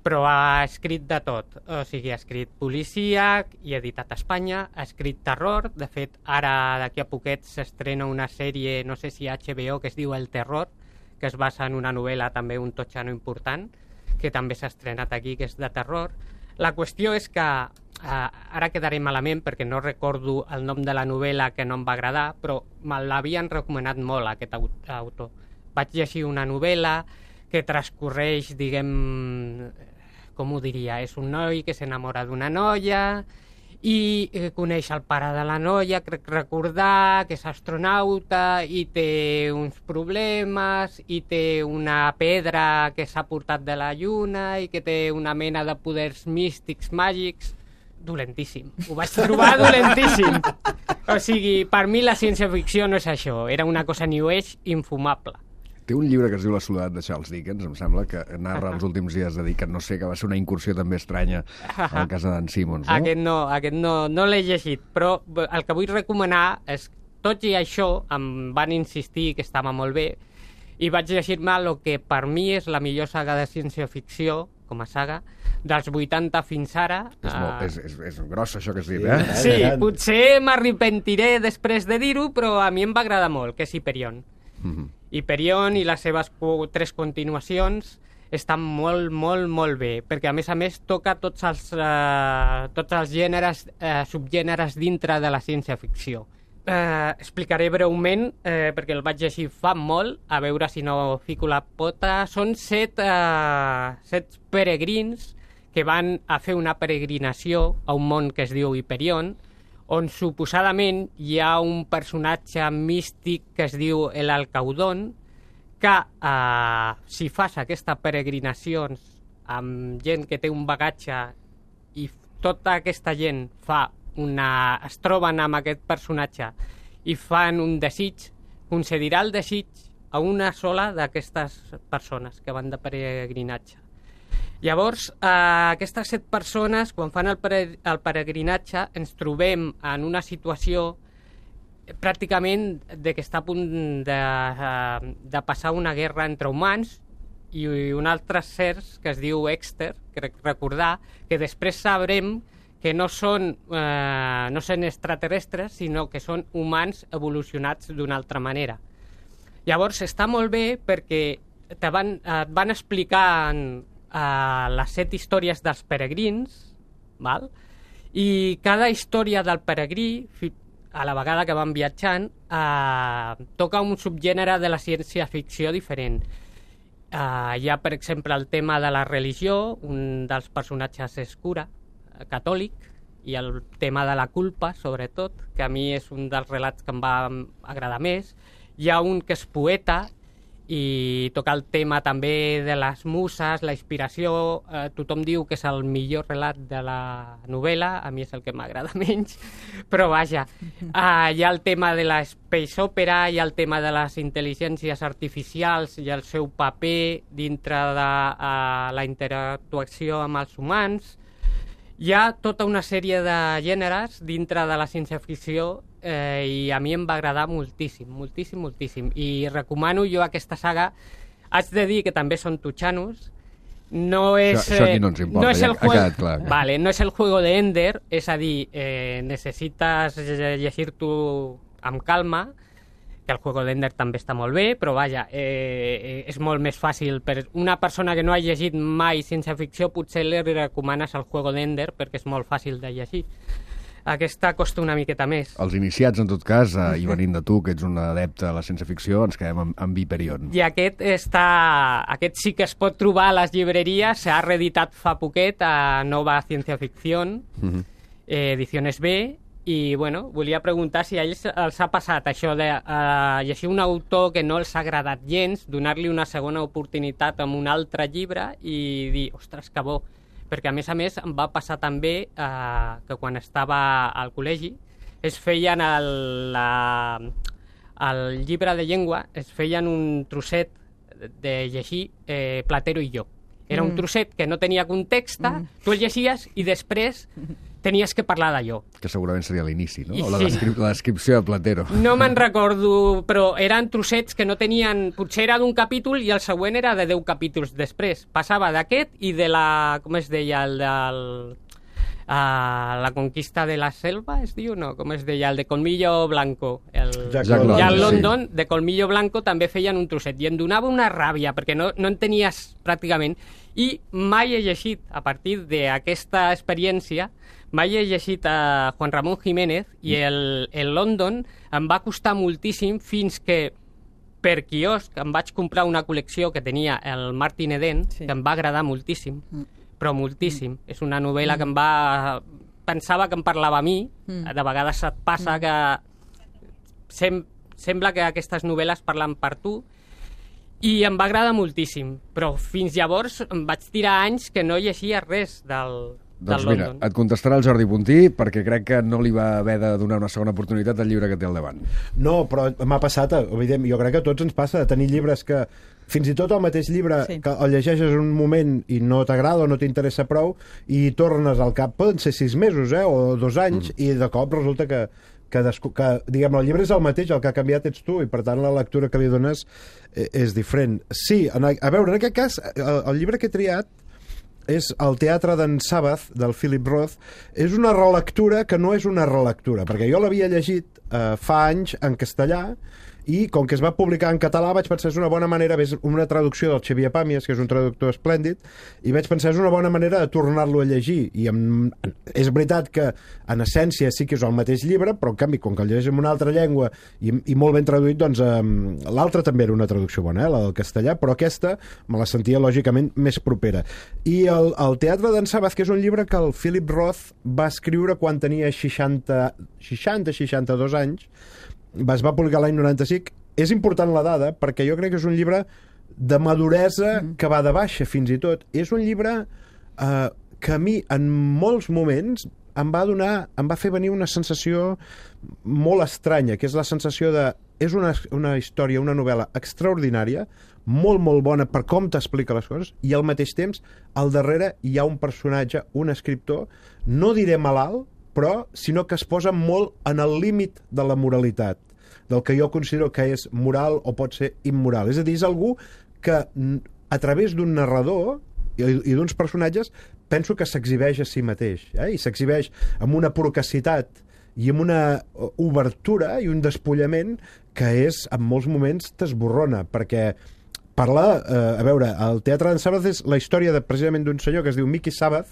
però ha escrit de tot. O sigui, ha escrit policíac i editat a Espanya, ha escrit terror. De fet, ara d'aquí a poquet s'estrena una sèrie, no sé si a HBO, que es diu El Terror, que es basa en una novel·la també un totxano important, que també s'ha estrenat aquí, que és de terror. La qüestió és que ara quedaré malament perquè no recordo el nom de la novel·la, que no em va agradar, però me l'havien recomanat molt aquest autor. Vaig llegir una novel·la que transcorreix, com ho diria, és un noi que s'enamora d'una noia i coneix el pare de la noia, crec recordar que és astronauta i té uns problemes i té una pedra que s'ha portat de la lluna i que té una mena de poders místics, màgics. Dolentíssim. Ho vaig trobar dolentíssim. O sigui, per mi la ciència-ficció no és això, era una cosa New Age infumable. Té un llibre que es diu La soledat de Charles Dickens, em sembla, que narra els últims dies de Dickens, no sé, que va ser una incursió també estranya a la casa d'en Simmons, no? Aquest no l'he llegit, però el que vull recomanar és, tot i això, em van insistir que estava molt bé, i vaig llegir-me el que per mi és la millor saga de ciència-ficció, com a saga, dels 80 fins ara. És grossa, això que has dit, eh? Sí, potser m'arrepentiré després de dir-ho, però a mi em va agradar molt, que és Hyperion. Hyperion i les seves 3 continuacions estan molt, molt, molt bé, perquè a més toca tots els gèneres, subgèneres dintre de la ciència-ficció. explicaré breument, perquè el vaig llegir fa molt, a veure si no fico la pota. Són 7 peregrins que van a fer una peregrinació a un món que es diu Hyperion, on suposadament hi ha un personatge místic que es diu l'Alcaudón, que si fas aquestes peregrinacions amb gent que té un bagatge i tota aquesta gent es troben amb aquest personatge i fan un desig, concedirà el desig a una sola d'aquestes persones que van de peregrinatge. Llavors, aquestes 7 persones, quan fan el peregrinatge, ens trobem en una situació pràcticament de que està a punt de passar una guerra entre humans i un altre cers que es diu Exter, crec recordar, que després sabrem que no són extraterrestres, sinó que són humans evolucionats d'una altra manera. Llavors, està molt bé perquè et van explicant les 7 històries dels peregrins, val? I cada història del peregrí, a la vegada que van viatjant, toca un subgènere de la ciència-ficció diferent. Hi ha, per exemple, el tema de la religió, un dels personatges és cura, catòlic, i el tema de la culpa, sobretot, que a mi és un dels relats que em va agradar més. Hi ha un que és poeta, i toca el tema també de les muses, la inspiració. Tothom diu que és el millor relat de la novel·la, a mi és el que m'agrada menys, però vaja. Hi ha el tema de la space opera, hi ha el tema de les intel·ligències artificials i el seu paper dintre de la interactuació amb els humans. Hi ha tota una sèrie de gèneres dintre de la ciència-ficció i a mi em va agradar moltíssim, moltíssim, moltíssim. I recomano jo aquesta saga. Haig de dir que també són tutxanos. No és, això aquí no ens importa, no és el ha quedat clar. Vale, no és el juego de Ender, és a dir, necessites llegir-t'ho amb calma, que el juego d'Ender també està molt bé, però vaja, és molt més fàcil. Per una persona que no ha llegit mai ciència-ficció, potser li recomanes el juego d'Ender perquè és molt fàcil de llegir. Aquesta costa una miqueta més. Els iniciats, en tot cas, i venint de tu, que ets un adepte a la ciència-ficció, ens quedem amb Hyperion. I aquest sí que es pot trobar a les llibreries, s'ha reeditat fa poquet a Nova Ciència-Ficció, Ediciones B, i bueno, volia preguntar si a ells els ha passat això de llegir un autor que no els ha agradat gens, donar-li una segona oportunitat amb un altre llibre i dir, ostres, que bo. Perquè a més em va passar també que quan estava al col·legi es feien el llibre de llengua, es feien un trosset de llegir Platero i jo. Era un trosset que no tenia context, tu el llegies i després tenies que parlar d'allò. Que segurament seria l'inici, no? O la Sí. descripció de Platero. No me'n recordo, però eren trossets que no tenien... Potser era d'un capítol i el següent era de 10 capítols després. Passava d'aquest i de la... Com es deia? El del... la conquista de la selva, es diu? No, com es deia? El de Colmillo Blanco. Jack London, London, de Colmillo Blanco, també feien un trosset. I em donava una ràbia, perquè no entenies pràcticament. I mai he llegit, a partir d'aquesta experiència, mai he llegit a Juan Ramón Jiménez i el London em va costar moltíssim fins que per quiosc em vaig comprar una col·lecció que tenia el Martin Eden, que em va agradar moltíssim, però moltíssim. És una novel·la que em va... Pensava que em parlava a mi, de vegades et passa que sembla que aquestes novel·les parlen per tu, i em va agradar moltíssim, però fins llavors em vaig tirar anys que no llegia res del mira, London. et contestarà el Jordi Puntí, perquè crec que no li va haver de donar una segona oportunitat al llibre que té al davant. No, però m'ha passat, evident, jo crec que a tots ens passa de tenir llibres que fins i tot el mateix llibre que el llegeixes en un moment i no t'agrada o no t'interessa prou i tornes al cap, poden ser 6 mesos o 2 anys i de cop resulta que diguem, el llibre és el mateix, el que ha canviat ets tu i per tant la lectura que li dones és diferent. Sí, a veure, en aquest cas el llibre que he triat és El teatre d'en Sabbath, del Philip Roth. És una relectura que no és una relectura, perquè jo l'havia llegit fa anys en castellà i com que es va publicar en català vaig pensar és una bona manera, és una traducció del Xavier Pàmies, que és un traductor esplèndid, i vaig pensar és una bona manera de tornar-lo a llegir, i és veritat que en essència sí que és el mateix llibre, però en canvi com que el llegeix en una altra llengua i molt ben traduït, doncs l'altra també era una traducció bona, la del castellà, però aquesta me la sentia lògicament més propera. I el Teatre d'en Sabbath, que és un llibre que el Philip Roth va escriure quan tenia 60-62 anys, es va publicar l'any 95. És important la dada perquè jo crec que és un llibre de maduresa que va de baixa fins i tot. És un llibre que a mi en molts moments em va fer venir una sensació molt estranya, que és la sensació de... És una història, una novel·la extraordinària, molt, molt bona per com t'explica les coses, i al mateix temps, al darrere hi ha un personatge, un escriptor, no diré malalt, però sinó que es posa molt en el límit de la moralitat, del que jo considero que és moral o pot ser immoral. És a dir, és algú que a través d'un narrador i d'uns personatges penso que s'exhibeix a si mateix, i s'exhibeix amb una procacitat i amb una obertura i un despullament que és, en molts moments, t'esborrona, perquè parla, a veure, el Teatre d'en Sabbath és la història precisament d'un senyor que es diu Mickey Sabbath,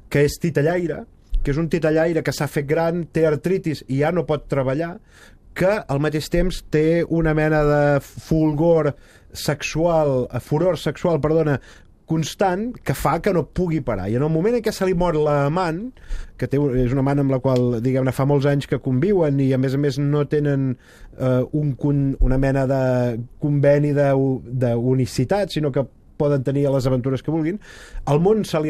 que és titellaire, que és un titellaire que s'ha fet gran, té artritis i ja no pot treballar, que al mateix temps té una mena de furor sexual, constant, que fa que no pugui parar. I en el moment en què se li mor l'amant, que és una amant amb la qual, diguem-ne, fa molts anys que conviuen i a més no tenen una mena de conveni d'unicitat, sinó que poden tenir les aventures que vulguin, el món se li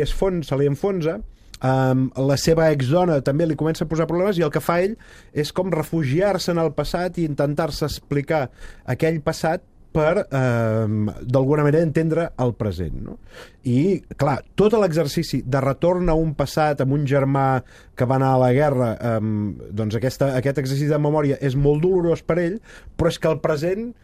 enfonsa, la seva exdona també li comença a posar problemes i el que fa ell és com refugiar-se en el passat i intentar-se explicar aquell passat per, d'alguna manera, entendre el present, no? I, clar, tot l'exercici de retorn a un passat amb un germà que va anar a la guerra, doncs aquest exercici de memòria és molt dolorós per ell, però és que el present,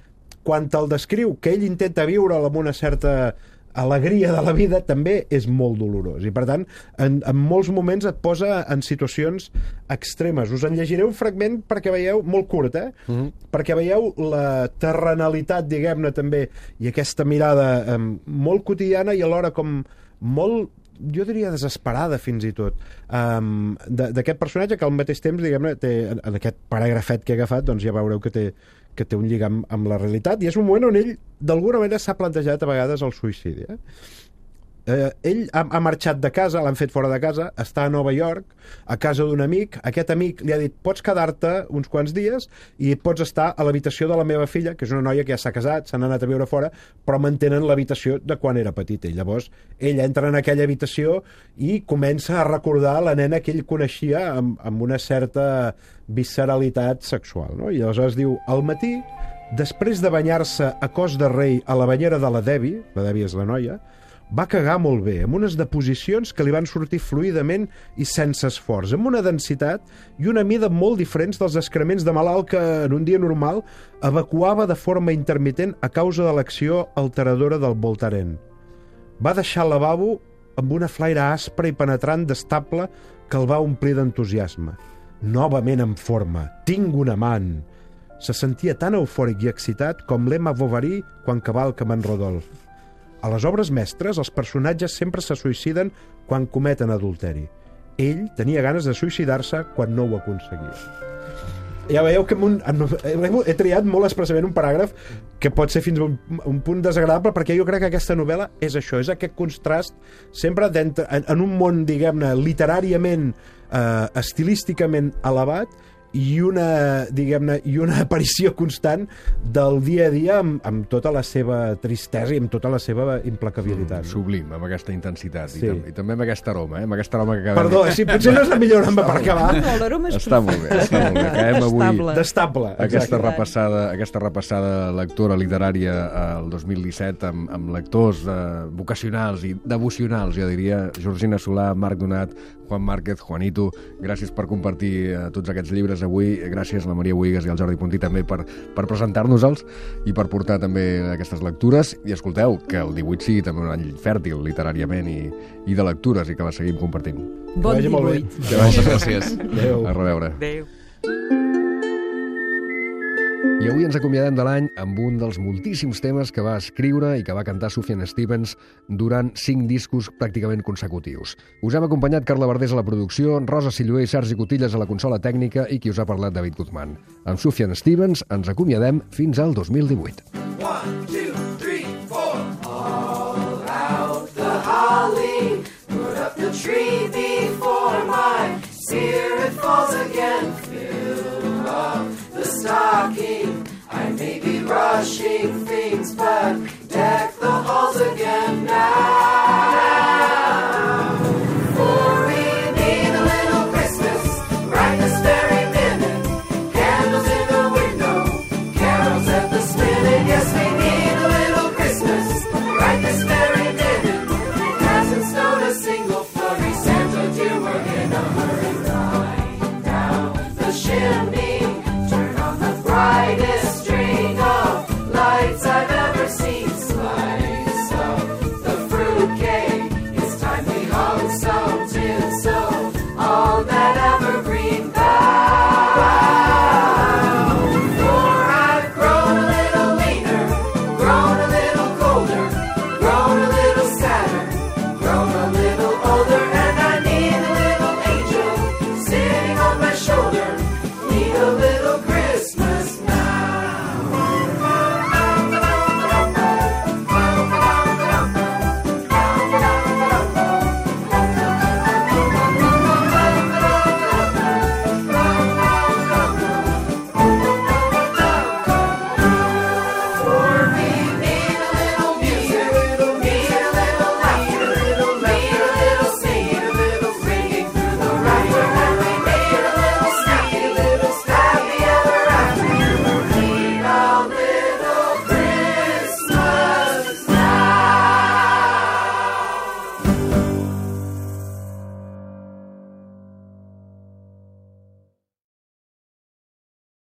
quan te'l descriu, que ell intenta viure'l amb una certa alegria de la vida, també és molt dolorós. I, per tant, en molts moments et posa en situacions extremes. Us en llegiré un fragment perquè veieu, molt curt, perquè veieu la terrenalitat, diguem-ne, també, i aquesta mirada molt quotidiana i alhora com molt, jo diria desesperada fins i tot, d'aquest personatge que al mateix temps, diguem-ne, en aquest paràgrafet que he agafat, doncs ja veureu que té un lligam amb la realitat, i és un moment on ell d'alguna manera s'ha plantejat a vegades el suïcidi. Ell ha marxat de casa, l'han fet fora de casa, està a Nova York, a casa d'un amic. Aquest amic li ha dit, pots quedar-te uns quants dies i pots estar a l'habitació de la meva filla, que és una noia que ja s'ha casat, s'han anat a viure fora, però mantenen l'habitació de quan era petit. I llavors ell entra en aquella habitació i comença a recordar la nena que ell coneixia amb una certa visceralitat sexual, no? I aleshores diu, al matí, després de banyar-se a cos de rei a la banyera de la Debbie és la noia, va cagar molt bé, amb unes deposicions que li van sortir fluidament i sense esforç, amb una densitat i una mida molt diferents dels excrements de malalt que en un dia normal evacuava de forma intermitent a causa de l'acció alteradora del Voltaren. Va deixar el lavabo amb una flaire aspra i penetrant d'estable que el va omplir d'entusiasme. Novament en forma, tinc un amant. Se sentia tan eufòric i excitat com l'Emma Bovary quan cavalca amb en Rodolf. A les obres mestres, els personatges sempre se suïciden quan cometen adulteri. Ell tenia ganes de suïcidar-se quan no ho aconseguia. Ja veieu que he triat molt expressament un paràgraf que pot ser fins a un punt desagradable, perquè jo crec que aquesta novel·la és això, és aquest contrast sempre en un món, diguem-ne, literàriament, estilísticament elevat, i una aparició constant del dia a dia amb tota la seva tristesa i amb tota la seva implacabilitat. Sublim, amb aquesta intensitat. Sí. I també amb aquesta aroma, amb aquesta aroma que acabem... Perdó, sí, potser no és la millor aroma per acabar. No, l'aroma és Està molt bé. Acabem avui d'estable. aquesta repassada lectora literària al 2017 amb lectors vocacionals i devocionals, jo diria, Georgina Solà, Marc Donat, Juan Márquez, Juanito, gràcies per compartir tots aquests llibres avui, gràcies a la Maria Buigas i al Jordi Puntí també per presentar-nos-els i per portar també aquestes lectures, i escolteu, que el 18 sigui també un any fèrtil literàriament i de lectures, i que la seguim compartint. Bon 18. Moltes gràcies. A reveure. Adéu. I avui ens acomiadem de l'any amb un dels moltíssims temes que va escriure i que va cantar Sufjan Stevens durant 5 discos pràcticament consecutius. Us hem acompanyat Carla Verdés a la producció, Rosa Silluer i Sergi Cotillas a la consola tècnica i qui us ha parlat, David Guzmán. Amb Sufjan Stevens ens acomiadem fins al 2018. 1, 2, 3, 4. All out the holly, put up the tree before my spirit falls again. Fill up the stocking, I may be rushing things, but deck the halls again now.